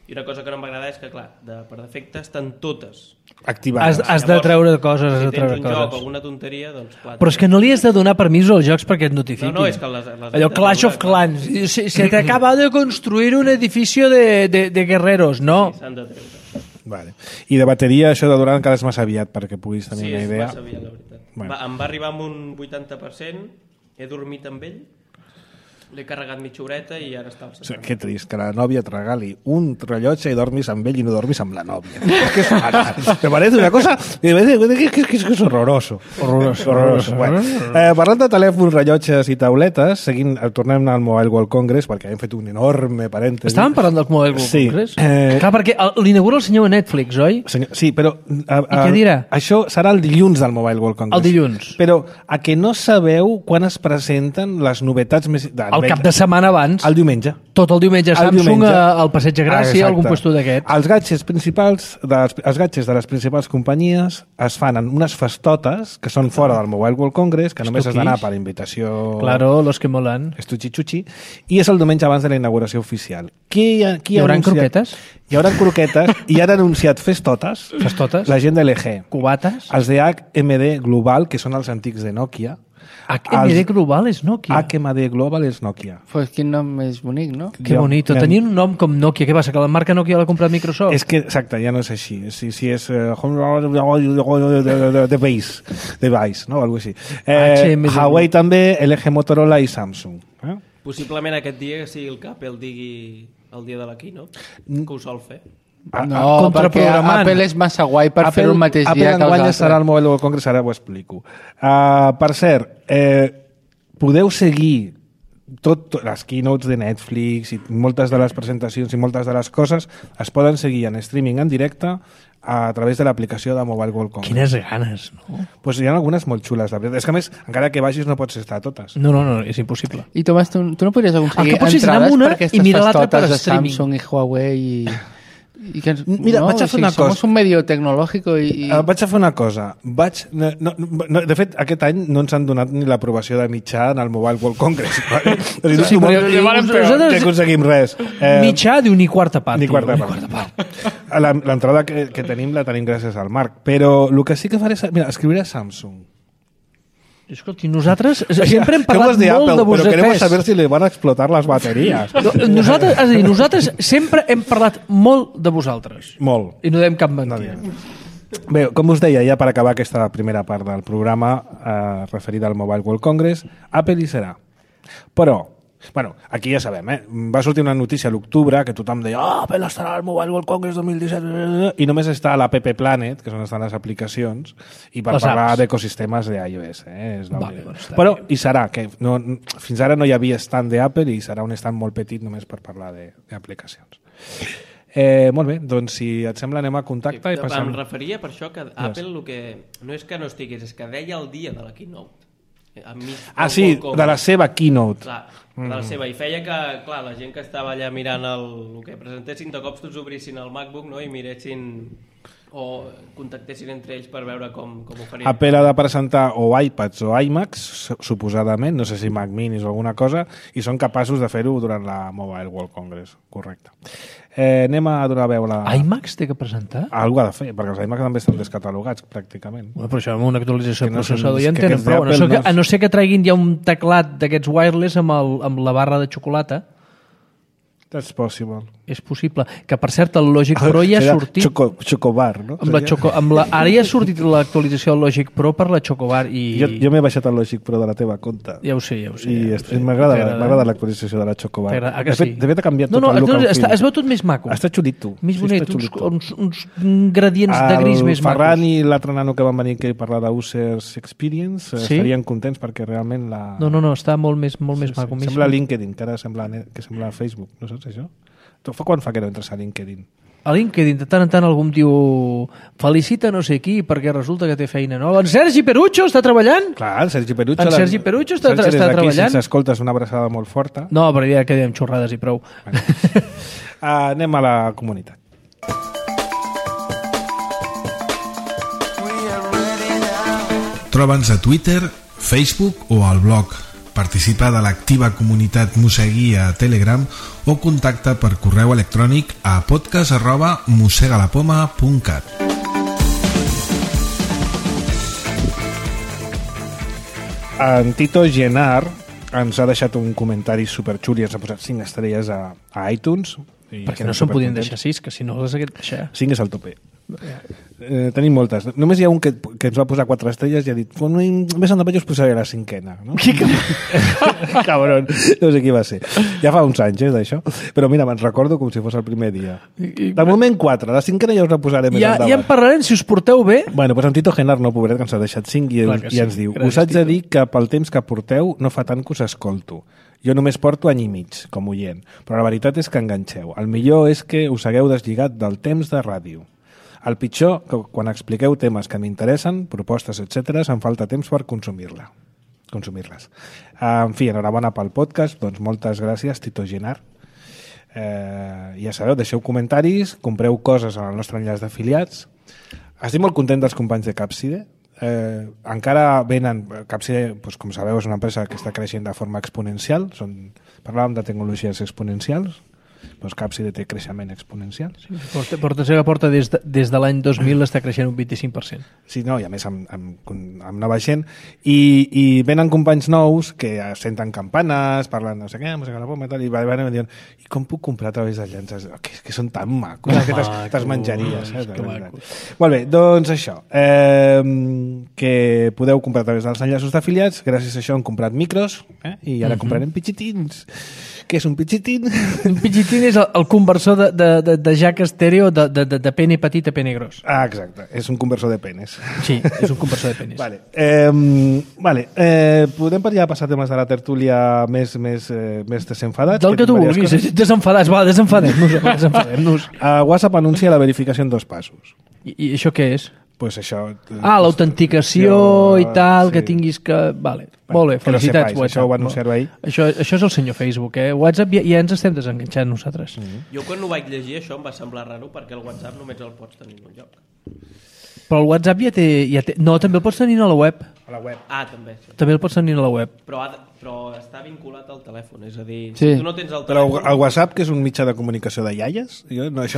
I una cosa que no m'agrada és que, clar, per defecte estan totes activades. Has de treure coses, si tens un joc o alguna tonteria, doncs clar... Però és que no li has de donar permís als jocs perquè et notifiqui. No, és que allò Clash of Clans. Se te acaba de construir un edificio de guerreros, no? Sí, s'han de treure. Vale. I de bateria, això de durar encara és massa aviat perquè puguis tenir una idea. Sí, és massa aviat, la veritat. Bueno. Em va arribar amb un 80%, he dormit amb ell, l'he carregat mitja horeta i ara està al 70%. O sigui, que trist, que la nòvia et regali un rellotge i dormis amb ell i no dormis amb la nòvia. És que és fatal. Me parece una cosa... que és horroroso. Horroroso. Bueno, parlant de telèfons, rellotges i tauletes, tornem al Mobile World Congress, perquè hem fet un enorme parèntesi. Estàvem parlant del Mobile World Congress? Clar, perquè l'inaugura el senyor Netflix, oi? Sí, però... I què dirà? Això serà el dilluns del Mobile World Congress. El dilluns. Però a que no sabeu quan es presenten les novetats més... El cap de setmana abans. El diumenge. Tot el diumenge. Samsung al Passeig de Gràcia, algun puesto d'aquest. Els gadgets de les principals companyies es fan en unes festotes que són fora del Mobile World Congress, que només has d'anar per invitació... Claro, los que molan. Estuchi-xuchi. I és el diumenge abans de la inauguració oficial. Hi haurà croquetes? Hi haurà croquetes i han anunciat festotes. Festotes? La gent de LG. Cubates? Els de HMD Global, que són els antics de Nokia. HMD Global és Nokia. HMD Global és Nokia. Pues quin nom més bonic, no? Que bonito. Tenien un nom com Nokia. Què passa, que la marca Nokia l'ha comprat Microsoft? És que, exacte, ja no és així. Si és Device, no? Algo així. Huawei també, LG, Motorola i Samsung. Possiblement aquest dia que sigui el que Apple digui el dia de la keynote, que ho sol fer. No, perquè Apple és massa guai per fer el mateix dia que els altres. Apple serà el Mobile World Congress, ara ho explico. Per cert, podeu seguir les keynotes de Netflix i moltes de les presentacions i moltes de les coses es poden seguir en streaming en directe a través de l'aplicació de Mobile World Congress. Quines ganes, no? Pues hi ha algunes molt xules, la veritat. És que, a més, encara que vagis no pots estar a totes. No, és impossible. I Tomàs, tu no podries aconseguir entrades per aquestes festotes de Samsung i Huawei i que, mira, vaig a fer una cosa. Somos un medio tecnológico i... Vaig a fer una cosa. De fet, aquest any no ens han donat ni l'aprovació de mitjà en el Mobile World Congress. Sí, que aconseguim res. Mitjà diu ni quarta part. Ni quarta part. L'entrada que tenim la tenim gràcies al Marc. Però el que sí que faré és... Mira, escriuré a Samsung. Escolti, nosaltres sempre hem parlat molt de vosaltres. Però queremos saber si li van a explotar les bateries. Nosaltres sempre hem parlat molt de vosaltres. Molt. I no dèiem cap mentida. Bé, com us deia, ja per acabar aquesta primera part del programa referida al Mobile World Congress, Apple hi serà. Però Bueno, aquí ja sabem, va sortir una notícia a l'octubre que tothom deia Apple estarà al Mobile World Congress 2017 i només està a l'App Planet, que és on estan les aplicacions, i per parlar d'ecosistemes d'iOS. És però hi serà, que fins ara no hi havia stand d'Apple i serà un stand molt petit només per parlar d'aplicacions. Molt bé, doncs si et sembla anem a contacte i passem... Em referia per això que Apple el que no és que no estigués, és que deia el dia de la keynote. Sí, de la seva keynote. Clar, de la seva. I feia que, clar, la gent que estava allà mirant el que presentessin, de cops tots obrissin el MacBook, no?, i miressin o contactessin entre ells per veure com ho farien. Apple ha de presentar o iPads o iMacs, suposadament, no sé si Mac Minis o alguna cosa, i són capaços de fer-ho durant la Mobile World Congress. Correcte. Anem a donar veu la... iMacs té que presentar? Algú ha de fer, perquè els iMacs també estan descatalogats, pràcticament. Bueno, però això amb una actualització de processador ja en tenen prou. A no ser que treguin ja un teclat d'aquests wireless amb la barra de xocolata. That's possible. És possible. Que, per cert, el Logic Pro ja ha sortit... Chocobar, no? Ara ja ha sortit l'actualització del Logic Pro per la Chocobar i... Jo m'he baixat el Logic Pro de la teva compte. Ja ho sé. I m'agrada l'actualització de la Chocobar. De fet, ha canviat tot el look and feel. Es veu tot més maco. Està xulito. Més bonic, uns gradients de gris més macos. El Ferran i l'altre nano que van venir aquí a parlar d'Users Experience estarien contents perquè realment la... No, està molt més maco. Sembla LinkedIn, que ara sembla Facebook, no saps això? Quan fa que no entres a LinkedIn? A LinkedIn, de tant en tant algú em diu felicita no sé qui perquè resulta que té feina, no? En Sergi Perucho està treballant? Clar, en Sergi Perucho està treballant? Si ens escoltes una abraçada molt forta. No, però ja que dèiem xorrades i prou. Anem a la comunitat. Troba'ns a Twitter, Facebook o al blog. Participa de l'activa comunitat Mosegui a Telegram o contacta per correu electrònic a podcast@mosegalapoma.cat. En Tito Genar ens ha deixat un comentari superxul i ens ha posat 5 estrelles a iTunes. Perquè no se'n podien deixar 6, que si no les hagués deixat. 5 és el tope. Tenim moltes. Només hi ha un que ens va posar 4 estrelles i ha dit més endavant us posaré la 5ena, no? Cabron, no sé qui va ser. Ja fa uns anys, d'això. Però mira, me'n recordo com si fos el primer dia. De moment 4, la 5ena ja us la posaré més endavant. Ja en parlarem, si us porteu bé. Bueno, doncs en Tito Genar, no, pobret, que ens ha deixat 5 i ens diu: us haig de dir que pel temps que porteu no fa tant que us escolto. Jo només porto any i mig, com oient, però la veritat és que enganxeu. El millor és que us hagueu deslligat del temps de ràdio. El pitjor, que quan expliqueu temes que m'interessen, propostes, etc., em falta temps per consumir-les. En fi, enhorabona pel podcast, doncs moltes gràcies, Tito Genar. Ja sabeu, deixeu comentaris, compreu coses al nostre enllaç d'afiliats. Estic molt content dels companys de Capside. Encara venen Capside, doncs, com sabeu, és una empresa que està creixent de forma exponencial. Parlàvem de tecnologies exponencials, doncs Capside té creixement exponencial. Sí, porta des de l'any 2000 està creixent un 25%. Sí, no, i a més amb nova gent. I venen companys nous que senten campanes, parlen no sé què, música a la poma i tal, i van diuen, i com puc comprar a través dels llances? Que són tan macos, que te'ls menjaries. Molt bé, doncs això. Que podeu comprar a través dels enllaços d'afiliats. Gràcies a això hem comprat micros, i ara comprarem pitxitins. Què és un pitxitín? Un pitxitín és el conversor de jack estèreo de pene petit a pene gros. Exacte, és un conversor de penes. Sí, és un conversor de penes. Vale. Podem per ja passar temes de la tertúlia més desenfadats? Del que tu vulguis, desenfadats, desenfadem-nos. WhatsApp anuncia la verificació en 2 passos. I això què és? Pues això... l'autenticació i tal, que tinguis que... Vale. Molt bé, felicitats, WhatsApp. Això ho va anunciar ahir. Això és el senyor Facebook, WhatsApp ja ens estem desenganxant nosaltres. Jo quan ho vaig llegir això em va semblar raro perquè el WhatsApp només el pots tenir en un lloc. Però el WhatsApp ja té... No, també el pots tenir a la web. A la web. També. Sí. També el pots tenir a la web. Però està vinculat al telèfon, és a dir, sí. si tu no tens el telèfon... Però el WhatsApp, que és un mitjà de comunicació de iaies? Això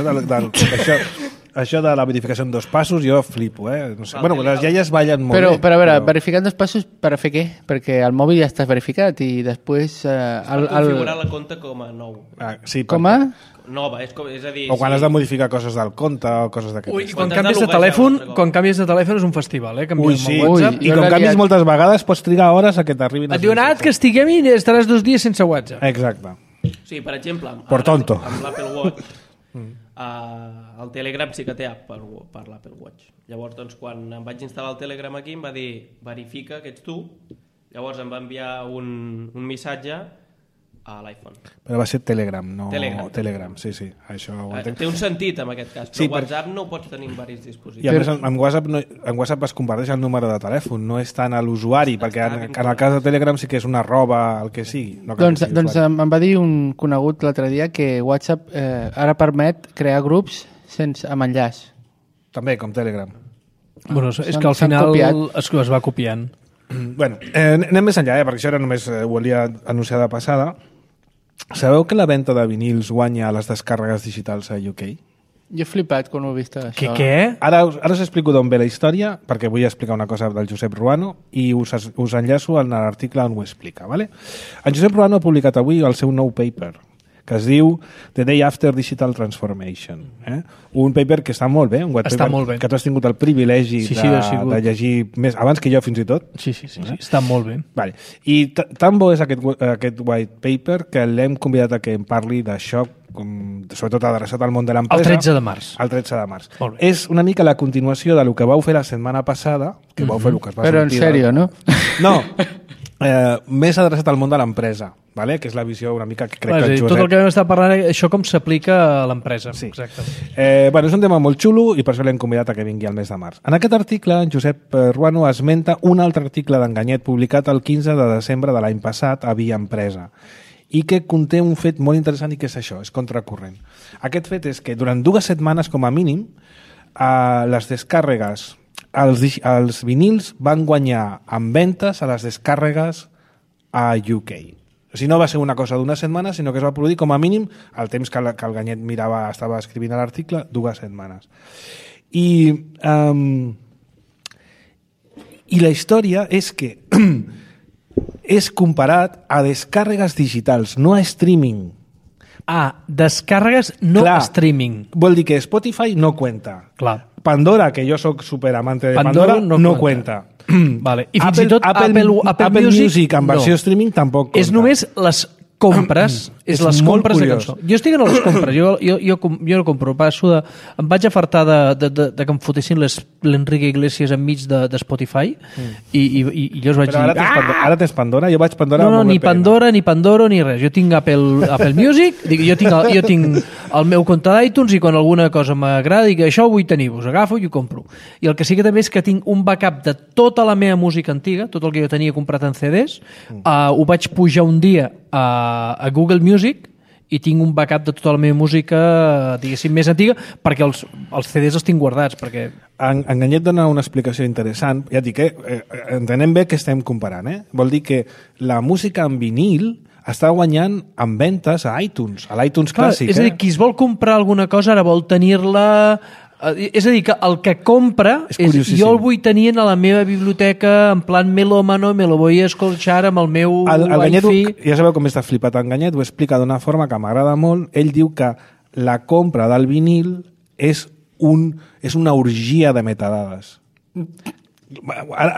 això de la verificació en 2 passos, jo flipo, No sé. Bueno, les iaies ballen molt Però, bé. però a veure, verificar en 2 passos per a fer què? Perquè al mòbil ja estàs verificat i després... Per configurar la compte com a nou. Sí, Com a? Nova, és a dir... O quan has de modificar coses del compte o coses d'aquest. Ui, Quan quan t'has canvies de de logar telèfon, ja, quan canvies de telèfon és un festival, canviar Ui, amb sí. el WhatsApp. I Jo com l'he canvis liat. moltes vegades pots trigar hores a que t'arribin... Et diuen, et castiguem i estaràs 2 dies sense WhatsApp. Exacte. Sí, per exemple, Por tonto. amb l'Apple Watch, el Telegram sí que té app per l'Apple Watch. Llavors, doncs, quan em vaig instal·lar el Telegram aquí, em va dir, verifica que ets tu. Llavors em va enviar un missatge a l'iPhone. Però va ser Telegram, no Telegram. Sí, això ho entenc. Té un sentit en aquest cas, però Sí, WhatsApp no ho pots tenir en diversos I dispositius. a més, en WhatsApp es comparteix el número de telèfon, no és tant a l'usuari, perquè en el cas de Telegram sí que és una roba, el que sigui. No cal que sigui Doncs usuari. em va dir un conegut l'altre dia que WhatsApp ara permet crear grups amb enllaç. També, com Telegram. Bueno, és que al s'han final copiat. es va copiant. Bueno, anem més enllà, perquè això era només ho volia anunciar de passada. Sabeu que la venda de vinils guanya a les descàrregues digitals a UK? Jo he flipat quan ho he vist, això. Què? Ara us explico d'on ve la història, perquè vull explicar una cosa del Josep Ruano i us enllaço en l'article on ho explica. ¿vale? En Josep Ruano ha publicat avui el seu nou paper, que es diu The Day After Digital Transformation. Un paper que està molt bé, un white Està paper molt bé. que tu has tingut el privilegi Sí, ho he sigut. de llegir més, abans que jo fins i tot. Sí, està molt bé. Vale. I tan bo és aquest white paper que l'hem convidat a que em parli d'això, sobretot adreçat al món de l'empresa. El 13 de març. El 13 de març. Molt bé. És una mica la continuació del que vau fer la setmana passada, que vau fer el que es va Però en sortir sèrio, no? No, més adreçat al món de l'empresa, vale? Que és la visió una mica que crec que el Josep... Tot el que vam estar parlant, això com s'aplica a l'empresa. Sí. Exactament. Bueno, és un tema molt xulo i per això l'hem convidat a que vingui al mes de març. En aquest article, en Josep Ruano esmenta un altre article d'Enganyet publicat el 15 de desembre de l'any passat a Via Empresa i que conté un fet molt interessant i que és això, és contracorrent. Aquest fet és que durant 2 setmanes com a mínim les descàrregues, els vinils van guanyar en ventes a les descàrregues a UK. O sigui, no va ser una cosa d'una setmana, sinó que es va produir com a mínim el temps que el Ganyet estava escrivint a l'article, 2 setmanes. I la història és que és comparat a descàrregues digitals, no a streaming. Descàrregues no Clar, streaming. Vol dir que Spotify no cuenta. Clar. Pandora, que jo sóc superamante de Pandora, no cuenta. Vale. I fins i tot Apple Music en versió streaming tampoc compta. És només les compres, és les molt compres de curiós. cançó. Jo estic en les compres, jo no compro, passo de... Em vaig afartar de que em fotessin l'Enrique Iglesias enmig de Spotify i jo us vaig Però dir... ara tens Pandora? Jo vaig Pandora No, amb ni VPN. Pandora ni res. Jo tinc Apple Music, jo tinc el meu compte d'iTunes i quan alguna cosa m'agrada dic això ho vull tenir, us agafo i ho compro. I el que sí que també és que tinc un backup de tota la meva música antiga, tot el que jo tenia comprat en CDs, ho vaig pujar un dia a Google Music i tinc un backup de tota la meva música, diguéssim, més antiga, perquè els CDs els tinc guardats, perquè... En Ganyet dona una explicació interessant. Ja et dic, entenem bé què estem comparant. Vol dir que la música en vinil està guanyant en ventes a iTunes, a l'iTunes clàssic. És a dir, qui es vol comprar alguna cosa ara vol tenir-la... És a dir, que el que compra És curiosíssim. jo el vull tenir a la meva biblioteca en plan melòmano, me lo voy a escolchar amb el meu El Ganyet, wifi. ja sabeu com està flipat en Ganyet, ho explica d'una forma que m'agrada molt. Ell diu que la compra del vinil és una orgia de metadades.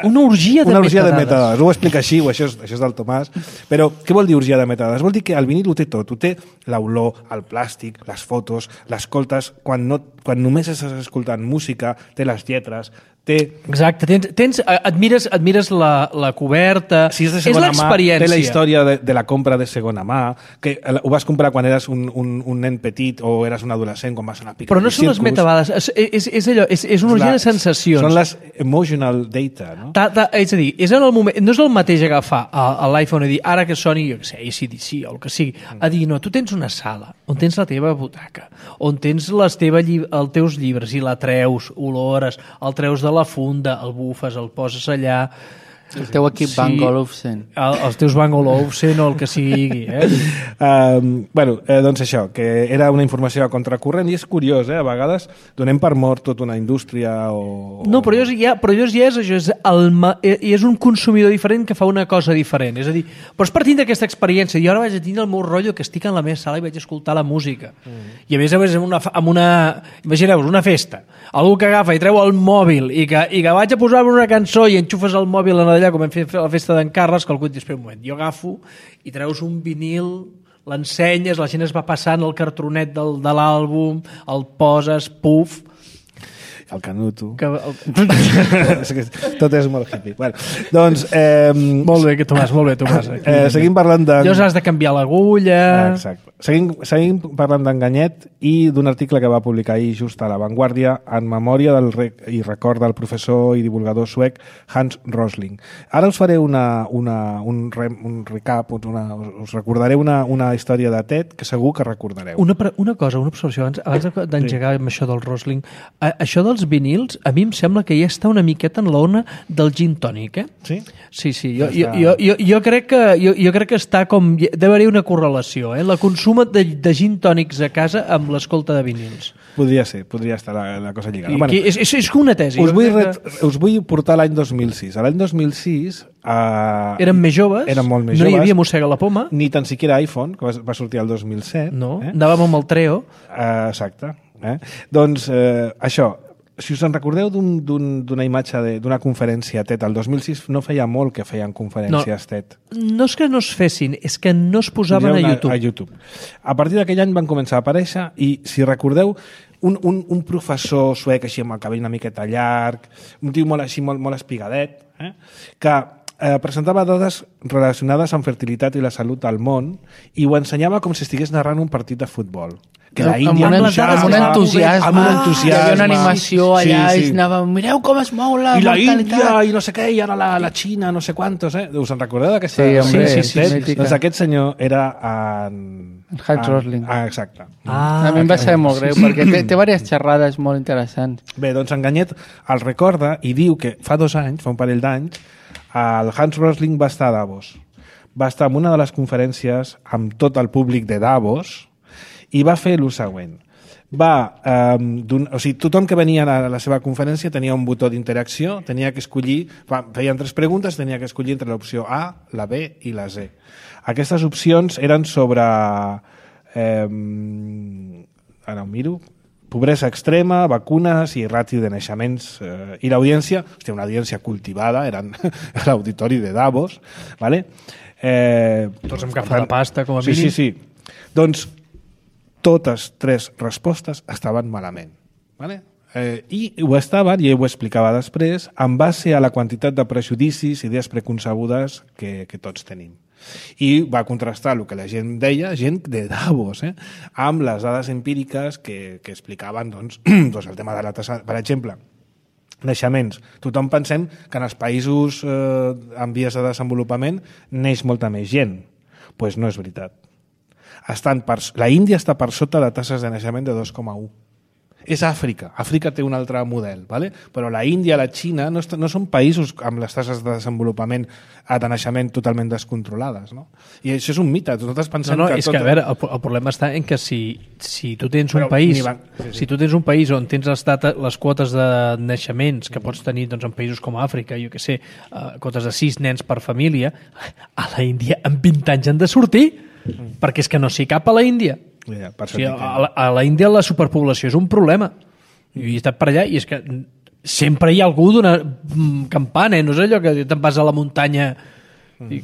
Una orgia de metadades. Ho explica així, això és del Tomàs. Però què vol dir orgia de metadades? Vol dir que el vinil ho té tot. Ho té l'olor, el plàstic, les fotos, l'escoltes quan només estàs escoltant música, té les lletres, té... Exacte, et mires la coberta, Si és de és segona mà, l'experiència. té la història de la compra de segona mà, que ho vas comprar quan eres un nen petit o eres un adolescent, quan vas anar a picar. Però no són les metadades, és allò, és una orgia de sensacions. Són les emotional data, no? És a dir, és en el moment, no és el mateix agafar l'iPhone i dir, ara que soni, jo què sé, AC/DC o el que sigui, a dir, no, tu tens una sala on tens la teva butaca, on tens els teus llibres i la treus, olores, el treus de la funda, el bufes, el poses allà... El teu equip Bang Olufsen. Els teus Bang Olufsen o el que sigui, Doncs això, que era una informació a contracorrent i és curiós, a vegades donem per mort tota una indústria o... No, però llavors ja és això, és un consumidor diferent que fa una cosa diferent. És a dir, però és partint d'aquesta experiència. Jo ara vaig a tenir el meu rotllo que estic en la meva sala i vaig escoltar la música. I a més imagineu-vos, una festa, algú que agafa i treu el mòbil i que vaig a posar-me una cançó i enxufes el mòbil en allà, com hem fet a la festa d'en Carles, que algú et diu, espera un moment, jo agafo i treus un vinil, l'ensenyes, la gent es va passant el cartronet de l'àlbum, el poses, puf... El canuto. Tot és molt hippie. Bueno, doncs... Molt bé, Tomàs, molt bé, Tomàs. Seguim parlant de... Llavors has de canviar l'agulla... Exacte. Seguim parlant d'Enganyet i d'un article que va publicar ahir just a La Vanguardia en memòria i record del professor i divulgador suec Hans Rosling. Ara us faré un recap, us recordaré una història de TED que segur que recordareu. Una observació, abans d'engegar amb això del Rosling. Això dels vinils, a mi em sembla que ja està una miqueta en l'ona del gin tònic, Sí? Sí. Jo crec que està com... Deu haver-hi una correlació, la consum de gin tònics a casa amb l'escolta de vinils. Podria estar la cosa lligada. Bueno, és com una tesi. Us vull portar l'any 2006. A l'any 2006... Érem més joves, érem molt més joves, no hi havia mossega la poma. Ni tan siquiera iPhone, que va sortir el 2007. No, anàvem amb el Treo. Exacte. Doncs això, si us en recordeu d'una imatge d'una conferència TED, el 2006 no feia molt que feien conferències TED. No és que no es fessin, és que no es posaven a YouTube. A partir d'aquell any van començar a aparèixer i, si recordeu, un professor suec així amb el cabell una miqueta llarg, un tio molt espigadet, que presentava dades relacionades amb fertilitat i la salut al món i ho ensenyava com si estigués narrant un partit de futbol. Que la Índia amb un entusiasme. Hi havia una animació allà i anava, mireu com es mou la i la mortalitat. Índia i no sé què, i ara la Xina, no sé quantos, Us en recordeu d'aquesta? Sí, hombre, sí. Doncs aquest senyor era Hans Rosling. Exacte. A mi em va ser molt greu, perquè té diverses xerrades molt interessants. Bé, doncs Enganyet el recorda i diu que fa un parell d'anys, el Hans Rosling va estar a Davos. Va estar en una de les conferències amb tot el públic de Davos i va fer el següent. Tothom que venia a la seva conferència tenia un botó d'interacció, tenia que escollir, feien 3 preguntes, tenia que escollir entre l'opció A, la B i la C. Aquestes opcions eren sobre... ara ho miro... pobresa extrema, vacunes i ràtio de naixements. I l'audiència, una audiència cultivada, eren l'auditori de Davos, ¿vale? Tots amb cafè de pasta, com a mínim. Sí. Doncs totes 3 respostes estaven malament. ¿Vale? I ho estaven, i ho explicava després, en base a la quantitat de prejudicis, idees preconcebudes que tots tenim. I va contrastar el que la gent deia, gent de Davos, amb les dades empíriques que explicaven doncs, el tema de la tassa. Per exemple, naixements. Tothom pensem que en els països en vies de desenvolupament neix molta més gent. Doncs no és veritat. La Índia està per sota de tasses de naixement de 2,1. És Àfrica. Àfrica té un altre model, ¿vale? Però la Índia, la Xina, no són països amb les tasses de desenvolupament de naixement totalment descontrolades, no? I això és un mite. Nosaltres pensem que... És que, a veure, el problema està en que si tu tens un país... Si tu tens un país on tens les quotes de naixements que pots tenir en països com Àfrica, jo què sé, quotes de 6 nens per família, a la Índia en 20 anys han de sortir, perquè és que no s'hi cap a la Índia. A la Índia la superpoblació és un problema. Jo he estat per allà i és que sempre hi ha algú donant campana, no és allò que te'n vas a la muntanya. Jo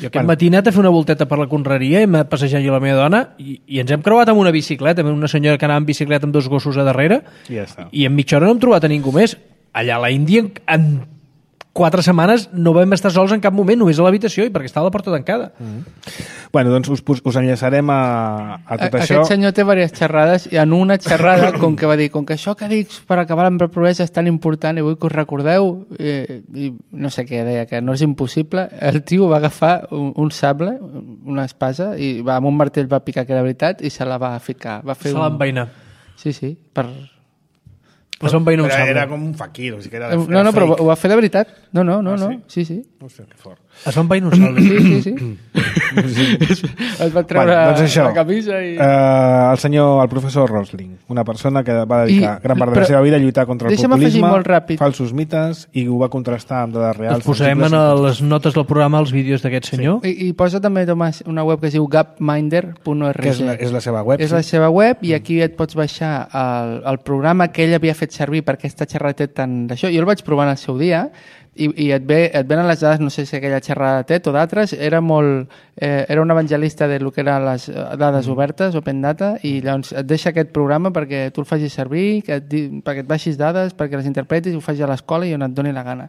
aquest matí he anat a fer una volteta per la conreria i m'he passejat jo la meva dona i ens hem creuat amb una bicicleta, amb una senyora que anava en bicicleta amb 2 gossos a darrere i en mitja hora no hem trobat a ningú més. Allà a la Índia en 4 setmanes no vam estar sols en cap moment, només a l'habitació i perquè estava la porta tancada. Bueno, doncs us enllaçarem a tot això. Aquest senyor té diverses xerrades i en una xerrada, com que va dir, com que això que dic per acabar amb la pobresa és tan important i vull que us recordeu, i no sé què deia, que no és impossible, el tio va agafar un sable, una espasa, i amb un martell va picar que era veritat i se la va ficar. Se l'ha envainar. Sí, per... Es va envaint un Però sable. era com un fakir, o sigui que era No, però ho va fer de veritat. No. sí? Sí. Hòstia, que fort. Es va envaint un sable. Sí. Es va treure doncs això, la camisa i... el professor Rosling, una persona que va dedicar gran part de la seva vida a lluitar contra el deixa'm afegir populisme, molt ràpid. falsos mites, i ho va contrastar amb dades reals. Els posarem en les notes del programa els vídeos d'aquest senyor. I posa també, Tomàs, una web que es diu gapminder.org. Que és la seva web. És la seva web i aquí et pots baixar el programa que ell havia fet servir per aquesta xerrada tan d'això. Jo el vaig provar en el seu dia i et venen les dades, no sé si aquella xerrada TED o d'altres, era un evangelista de lo que eren les dades obertes, open data, i llavors et deixa aquest programa perquè tu el facis servir, perquè et baixis dades, perquè les interpretis, ho facis a l'escola i on et doni la gana.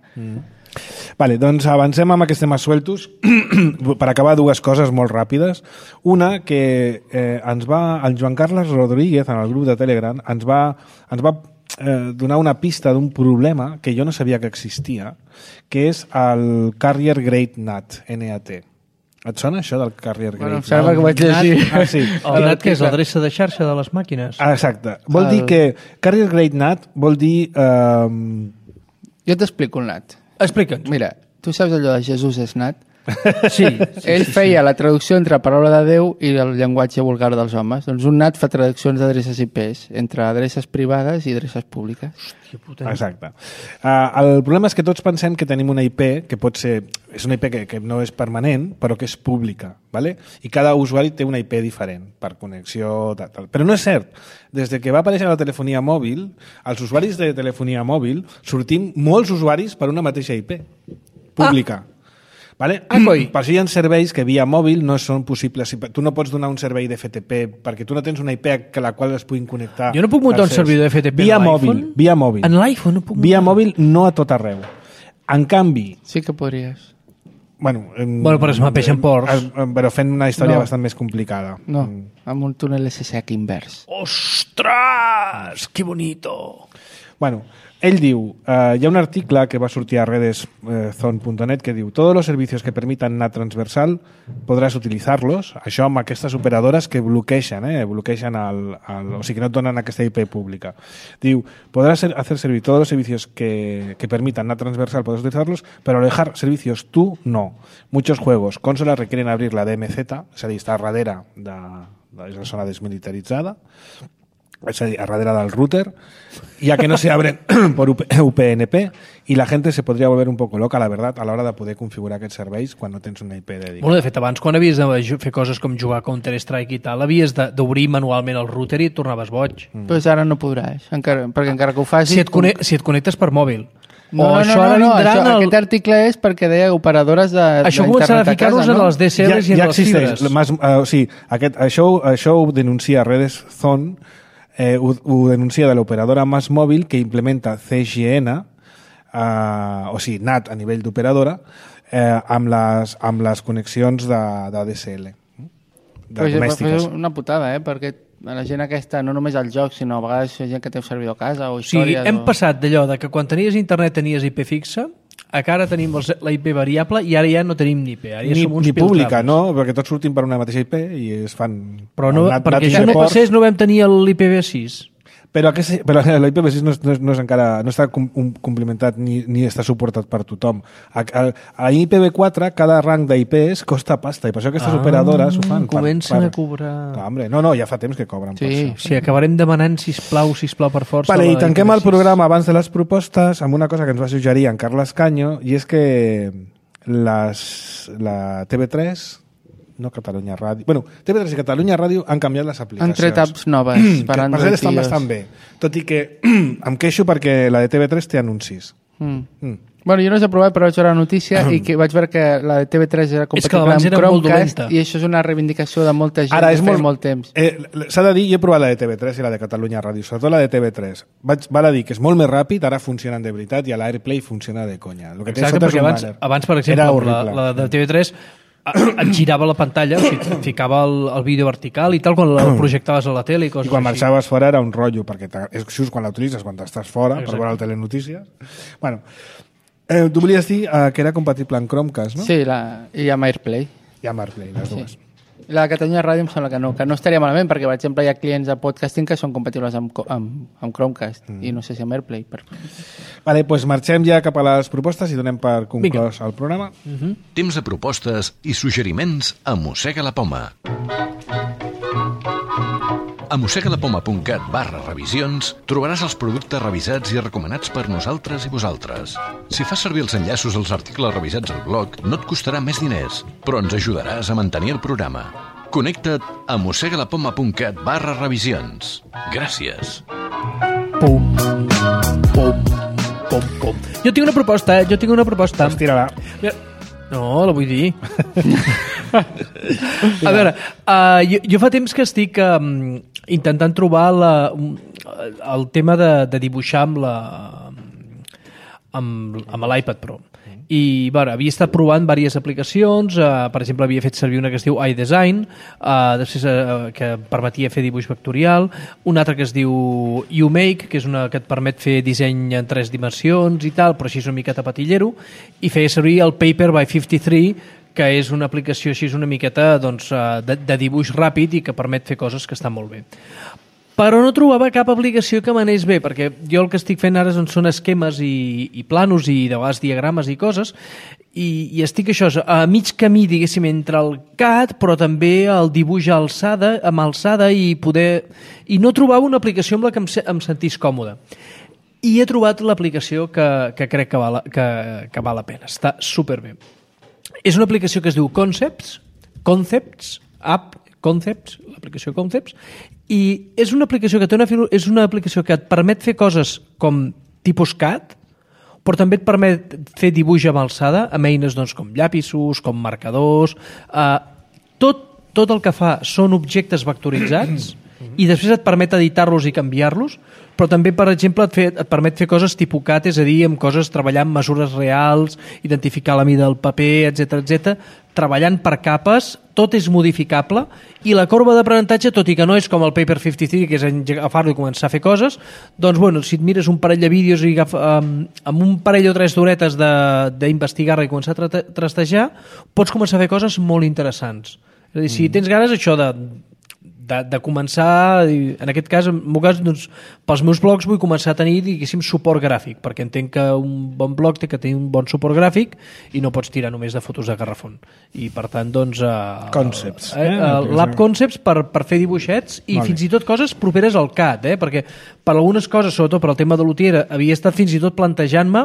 Vale, doncs avancem amb aquests temes sueltos. Per acabar, dues coses molt ràpides. Una, que el Joan Carles Rodríguez, en el grup de Telegram, ens va donar una pista d'un problema que jo no sabia que existia, que és el Carrier Grade NAT, NAT. Et sona això del Carrier Grade Em sembla que ho vaig llegir. Sí. El NAT, que és l'adreça de xarxa de les màquines. Exacte. Vol dir que Carrier Grade NAT vol dir... Jo t'explico un NAT. Explica'ns. Mira, tu saps allò de Jesús és nat? Sí. Ell feia la traducció entre paraula de Déu i el llenguatge vulgar dels homes. Doncs un NAT fa traduccions d'adreces IPs entre adreces privades i adreces públiques. Exacte. El problema és que tots pensem que tenim una IP que pot ser... És una IP que no és permanent, però que és pública. ¿Vale? I cada usuari té una IP diferent per connexió... Tal. Però no és cert. Des que va aparèixer la telefonia mòbil, els usuaris de telefonia mòbil sortim molts usuaris per una mateixa IP pública. Vale? Per això hi ha serveis que via mòbil no són possibles. Tu no pots donar un servei d'FTP perquè tu no tens una IP a la qual es puguin connectar. Jo no puc muntar un servidor d'FTP via en mòbil, l'iPhone? via mòbil. En l'iPhone no puc muntar? Via mòbil no a tot arreu. En canvi... Sí que podries. Bueno, però es mapeixen ports. Però fent una història bastant més complicada. No, amb un túnel SSH invers. Ostras, que bonito. Bueno, ell diu, hi ha un article que va sortir a redeszone.net que diu todos los servicios que permitan NAT transversal podrás utilizarlos, això amb aquestes operadores que bloqueixen, o sigui que no et donen aquesta IP pública. Diu, podrás hacer servir todos los servicios que permitan NAT transversal, podrás utilizarlos, pero al dejar servicios tú, no. Muchos juegos, consolas requieren abrir la DMZ, és a dir, està darrere de la zona desmilitaritzada, es a darrere del router, ya que no se abren por UPnP, y la gente se podría volver un poco loca, la verdad, a la hora de poder configurar aquests serveis quan no tens una IP dedicada. Bueno, de fet, abans, quan havies de fer coses com jugar Counter-Strike i tal, havies d'obrir manualment el router i et tornaves boig. Doncs ara no podràs, perquè encara que ho facis... Si et connectes per mòbil. No, aquest article és perquè deia operadores això començarà a ficar-nos en les DSLs i en les fibres. O sigui, això ho denuncia Redeszone, ho denuncia de l'operadora Más Móvil que implementa CGN, o sigui, NAT a nivell d'operadora, amb les connexions de DSL. És una putada, perquè la gent aquesta, no només al joc, sinó a vegades gent que té un servidor a casa o històries... Sí, hem passat d'allò de que quan tenies internet tenies IP fixa, a que ara tenim la IP variable i ara ja no tenim ni IP. Ara ja som uns ni pública, no? Perquè tots sortim per una mateixa IP i es fan... Però no, perquè això no passés, no vam tenir l'IPv6. Però l'IPv6 no està complementat ni està suportat per tothom. A IPv4 cada rang d'IPs costa pasta i per això aquestes operadores ho fan. Comencen a cobrar... No, ja fa temps que cobren per això. Sí, acabarem demanant sisplau per força. I tanquem el programa abans de les propostes amb una cosa que ens va suggerir en Carles Canyo, i és que la TV3... no Catalunya Ràdio... Bueno, TV3 i Catalunya Ràdio han canviat les aplicacions. Han tret apps noves per Android. Per cert, estan bastant bé. Tot i que em queixo perquè la de TV3 té anuncis. Bueno, jo no us he provat, però vaig veure la notícia i que vaig veure que la de TV3 era compatible amb Chromecast i això és una reivindicació de molta gent de fer molt temps. S'ha de dir, jo he provat la de TV3 i la de Catalunya Ràdio, sobretot la de TV3. Val a dir que és molt més ràpid, ara funcionen de veritat i a l'Airplay funciona de conya. Exacte, perquè abans, per exemple, la de TV3 et girava la pantalla, o sigui, et ficava el vídeo vertical i tal, quan el projectaves a la tele i coses així. I quan marxaves fora era un rotllo, perquè és just quan l'utilitzes, quan estàs fora, per veure el telenotícies. Bueno, tu volies dir que era compatible amb Chromecast, no? Sí, i amb Airplay. I amb Airplay, les dues. La de Catalunya Ràdio em sembla que no estaria malament, perquè, per exemple, hi ha clients de podcasting que són compatibles amb Chromecast i no sé si amb AirPlay. Vale, doncs marxem ja cap a les propostes i donem per conclòs el programa. Temps de propostes i suggeriments a Mossega la Poma. A mossegalapoma.cat/revisions trobaràs els productes revisats i recomanats per nosaltres i vosaltres. Si fas servir els enllaços als articles revisats al blog, no et costarà més diners, però ens ajudaràs a mantenir el programa. Connecta't a mossegalapoma.cat/revisions. Gràcies. Pum, pum, pum, pum. Jo tinc una proposta, Doncs tira-la. No, la vull dir. A veure, jo fa temps que estic intentant trobar el tema de dibuixar amb l'iPad Pro. I bueno, havia estat provant diverses aplicacions, per exemple havia fet servir una que es diu iDesign, després que permetia fer dibuix vectorial, una altra que es diu YouMake, que és una que et permet fer disseny en 3 dimensions i tal, però així és una miqueta patillero, i feia servir el Paper by 53, que és una aplicació així una miqueta doncs, de dibuix ràpid i que permet fer coses que estan molt bé. Però no trobava cap aplicació que m'anés bé, perquè jo el que estic fent ara són esquemes i planos i de vegades diagrames i coses, i estic a mig camí, diguéssim, entre el CAD, però també el dibuix amb alçada i no trobava una aplicació amb la que em sentís còmode. I he trobat l'aplicació que crec que val la pena. Està superbé. És una aplicació que es diu Concepts, l'aplicació Concepts, i és una aplicació que et permet fer coses com tipus CAD, però també et permet fer dibuix amb alçada, amb eines doncs, com llapisos, com marcadors. Tot el que fa són objectes vectoritzats i després et permet editar-los i canviar-los, però també, per exemple, et permet fer coses tipus CAD, és a dir, amb coses treballant amb mesures reals, identificar la mida del paper, etc, treballant per capes, tot és modificable, i la corba d'aprenentatge, tot i que no és com el Paper 53, que és agafar-lo i començar a fer coses, doncs, bueno, si et mires un parell de vídeos i amb un parell o 3 d'horetes d'investigar-la i començar a trastejar, pots començar a fer coses molt interessants. És a dir, si tens ganes això de començar, en aquest cas, en el meu cas, doncs, pels meus blogs vull començar a tenir, diguéssim, suport gràfic, perquè entenc que un bon blog té que tenir un bon suport gràfic i no pots tirar només de fotos de garrafon. I per tant, doncs... Concepts. L'app Concepts per fer dibuixets i fins i tot coses properes al CAD, perquè per algunes coses, sobretot per al tema de l'utiera, havia estat fins i tot plantejant-me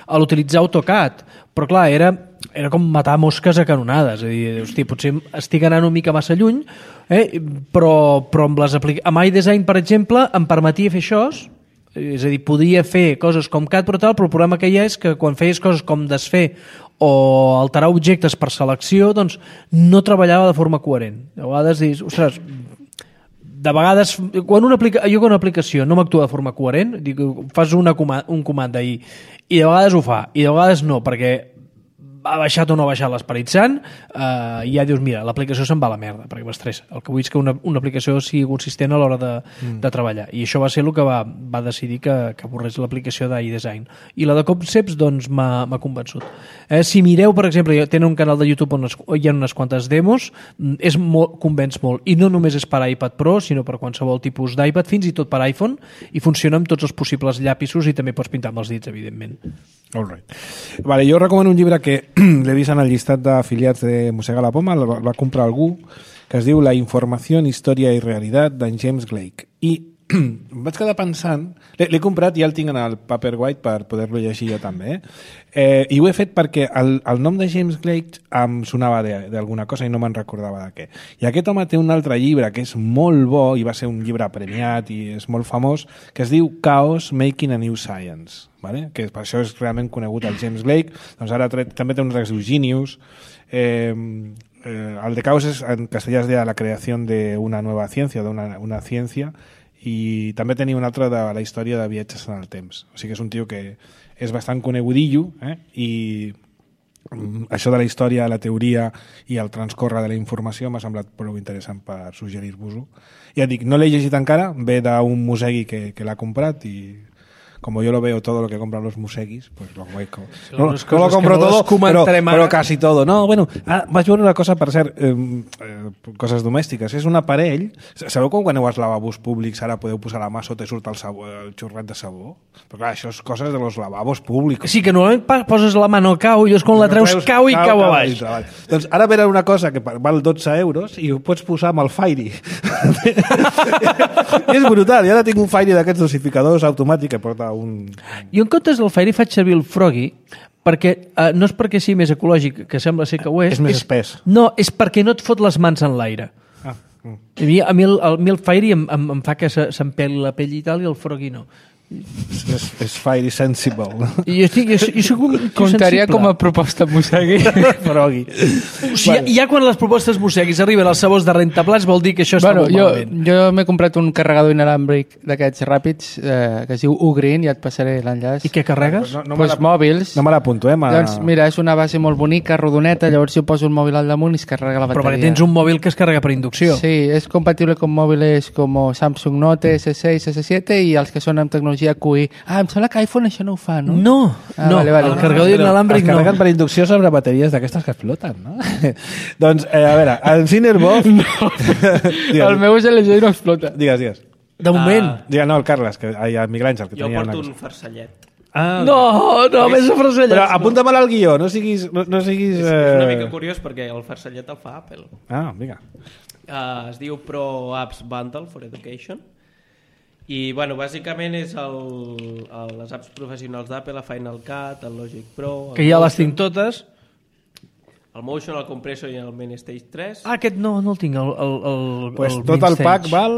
a l'utilitzar AutoCAD, però clar, era com matar mosques a canonades, és a dir, hosti, potser estic anant una mica massa lluny, però amb iDesign, per exemple, em permetia fer això, és a dir, podia fer coses com CAD, però el problema que hi ha és que quan feies coses com desfer o alterar objectes per selecció, doncs no treballava de forma coherent. A vegades dius, ostres, de vegades, quan una aplicació no m'actua de forma coherent, fas un comanda i de vegades ho fa, i de vegades no, perquè ha baixat o no ha baixat l'Esperit Sant, i ja dius, mira, l'aplicació se'n va a la merda, perquè m'estressa. El que vull és que una aplicació sigui consistent a l'hora de treballar. I això va ser el que va decidir que borrés l'aplicació d'iDesign. I la de Concepts, doncs, m'ha convençut. Si mireu, per exemple, tenen un canal de YouTube on hi ha unes quantes demos, convenç molt. I no només és per iPad Pro, sinó per qualsevol tipus d'iPad, fins i tot per iPhone, i funciona amb tots els possibles llapisos i també pots pintar amb els dits, evidentment. All right. Vale, jo recomano un llibre que l'he vist en el llistat d'afiliats de Mossega la Poma, el va comprar algú, que es diu La informació, història i realitat, d'en James Blake. I em vaig quedar pensant, l'he comprat i ja el tinc en el Paperwhite per poder-lo llegir jo també, i ho he fet perquè el nom de James Blake em sonava d'alguna cosa i no me'n recordava de què. I aquest home té un altre llibre que és molt bo i va ser un llibre premiat i és molt famós, que es diu Chaos Making a New Science, vale? Que per això és realment conegut el James Blake. Doncs ara també té un altre que es diu Genius. El de Chaos en castellà es deia La creació d'una nova ciència, d'una ciència, i també tenia un altre de la història de viatges en el temps. O sigui que és un tio que és bastant conegudillo, i això de la història, la teoria i el transcórrer de la informació m'ha semblat prou interessant per suggerir-vos-ho. Ja dic, no l'he llegit encara, ve d'un mosegui que l'ha comprat i como yo lo veo todo lo que compran los museguis, pues lo hueco. Son No les lo coses compro que no todo, les comentarem però ara. casi todo. No, bueno, vaig veure una cosa, per cert, coses domèstiques. És un aparell... Sabeu com quan aneu als lavabos públics ara podeu posar la mà sota i surt el xorret de sabó? Però clar, això és coses de los lavabos públics. Sí, que normalment poses la mà no cau i llavors quan la treus cau i cau a baix. Doncs ara venen una cosa que val 12 euros i ho pots posar amb el Fairy. I és brutal. I ara tinc un Fairy d'aquests dosificadors automàtic que porta un... Jo en comptes del Fairy faig servir el Froggy perquè no és perquè sigui més ecològic, que sembla ser que ho és. És més espès. No, és perquè no et fot les mans en l'aire. A mi el Fairy em fa que s'empeli la pell i tal, i el Froggy no. És Fairy sensible. I jo soc un Comptaria sensible. com a proposta Musegui. Froggy. O sigui, ja quan les propostes musseguis arriben als sabors de rentaplats vol dir que això està molt malament. Jo m'he comprat un carregador inalàmbric d'aquests ràpids que es diu U-Green, ja et passaré l'enllaç. I què carregues? Pues mòbils. No me l'apunto, Doncs mira, és una base molt bonica, rodoneta, llavors jo poso el mòbil al damunt i es carrega la bateria. Però perquè tens un mòbil que es carrega per inducció. Sí, es compatible con móviles como Samsung Note, S6, S7 i els que són amb tecnologia QI. Em sembla que iPhone això no ho fa, no? No, vale. el carregador inalàmbric es no. carreguen per inducció sobre bateries d'aquestes que exploten, no? Doncs, a veure, el Cinerbov... El meu és LG i no explota. Digues. De moment. No, el Carles, el Miguel Àngel, que Jo tenia porto una un farcellet. No, més a frasellets. Però apunta-me'l al guió, no siguis... És una mica curiós perquè el farcellet el fa Apple. Vinga. Es diu Pro Apps Bundle for Education i, bueno, bàsicament és les apps professionals d'Apple, el Final Cut, el Logic Pro... Que ja les tinc totes. El Motion, el Compressor i el Main Stage 3. Aquest no el tinc, Pues el tot el Main pack Stage. val...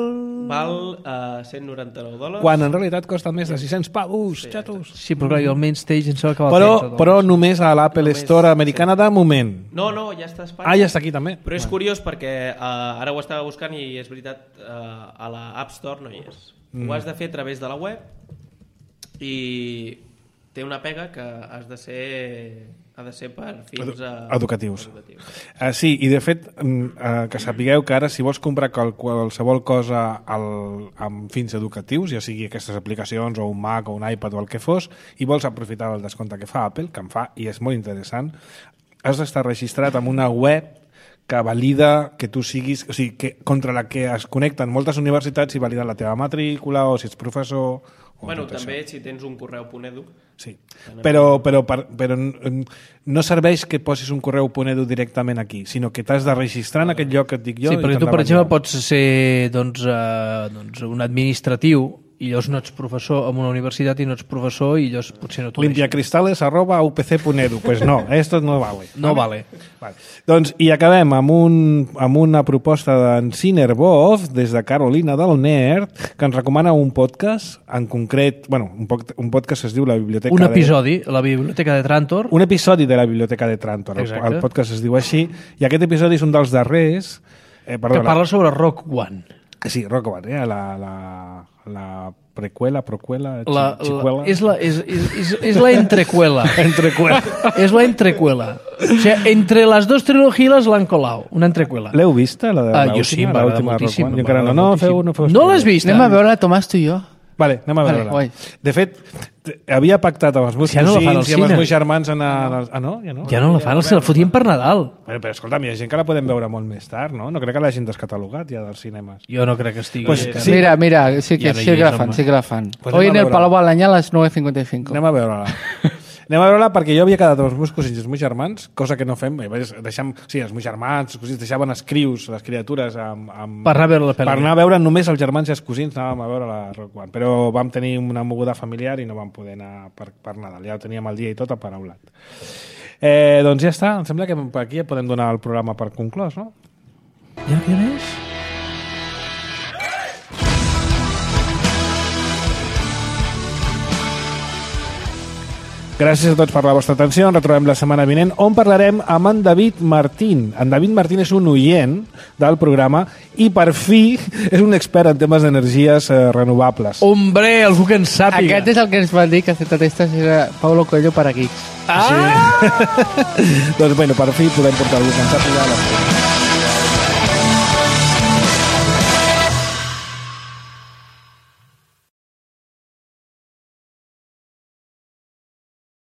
$199. Quan en realitat costa més de 600 pavos, xatos. Sí, però clar, jo el Main Stage em sembla que val 30 Però només a l'Apple Store americana de moment. No, ja està a Espanya. Ja està aquí també. Però és curiós perquè ara ho estava buscant i és veritat, a la App Store no hi és. Ho has de fer a través de la web i té una pega que ha de ser per fins educatius. Sí, i de fet que sapigueu que ara si vols comprar qualsevol cosa amb fins educatius, ja sigui aquestes aplicacions o un Mac o un iPad o el que fos, i vols aprofitar el descompte que fa Apple, que en fa i és molt interessant, has d'estar registrat amb una web que valida que tu siguis, o sigui, que contra la que es connecten moltes universitats i validen la teva matrícula o si ets professor. Bueno, també si tens un correu.edu. Sí, però no serveix que posis un correu.edu directament aquí, sinó que t'has de registrar en aquest lloc que et dic jo. Sí, perquè tu, per exemple, pots ser un administratiu i llavors no ets professor en una universitat i no ets professor i llavors potser no t'ho deixen. limpiacristales@upc.edu. Pues no, esto no vale. No vale. Vale. Doncs, i acabem amb una proposta d'en Cinerbov des de Carolina del Nerd, que ens recomana un podcast, en concret, bueno, un podcast que es diu La Biblioteca un episodi, la Biblioteca de Trantor. Un episodi de la Biblioteca de Trantor. El podcast es diu així, i aquest episodi és un dels darrers... que parla sobre Rock One. Sí, Rock One, la precuela, chicuela... És la entrecuela. És la entrecuela. O sigui, entre les dues trilogies l'han colat, una entrecuela. L'heu vista, la de jo sí, m'agrada moltíssim. No feu no l'has vist? Anem a veure Tomàs, tu i jo. Vale, anem a veure-la. De fet, havia pactat amb els meus cosins i amb els meus germans anar... No? Ja no? Ja no la fan, se la fotien per Nadal. Però escolta'm, hi ha gent que la podem veure molt més tard, no? No crec que l'hagin descatalogat ja dels cinemes. Jo no crec que estigui... Pues, sí. Mira, sí que la fan. Pues hoy en el Palau Balanyà a les 9:55. Anem a veure-la. Anem a veure-la perquè jo havia quedat amb els meus cosins i els meus germans, cosa que no fem. Sí, els meus germans, els cosins, deixaven escrius, les criatures per anar a veure la pel·lícula. Per anar a veure només els germans i els cosins anàvem a veure la Rock One. Però vam tenir una moguda familiar i no vam poder anar per Nadal. Ja ho teníem el dia i tot aparaulat. Doncs ja està. Em sembla que per aquí ja podem donar el programa per conclòs, no? Ja què més? Gràcies a tots per la vostra atenció. Ens retrobem la setmana vinent, on parlarem amb en David Martín. En David Martín és un oient del programa i per fi és un expert en temes d'energies renovables. Hombre, algú que en sàpiga. Aquest és el que ens va dir que Z-Testes era Paulo Coelho para geeks. Ah! Sí. Doncs bueno, per fi podem portar algú que en sàpiga.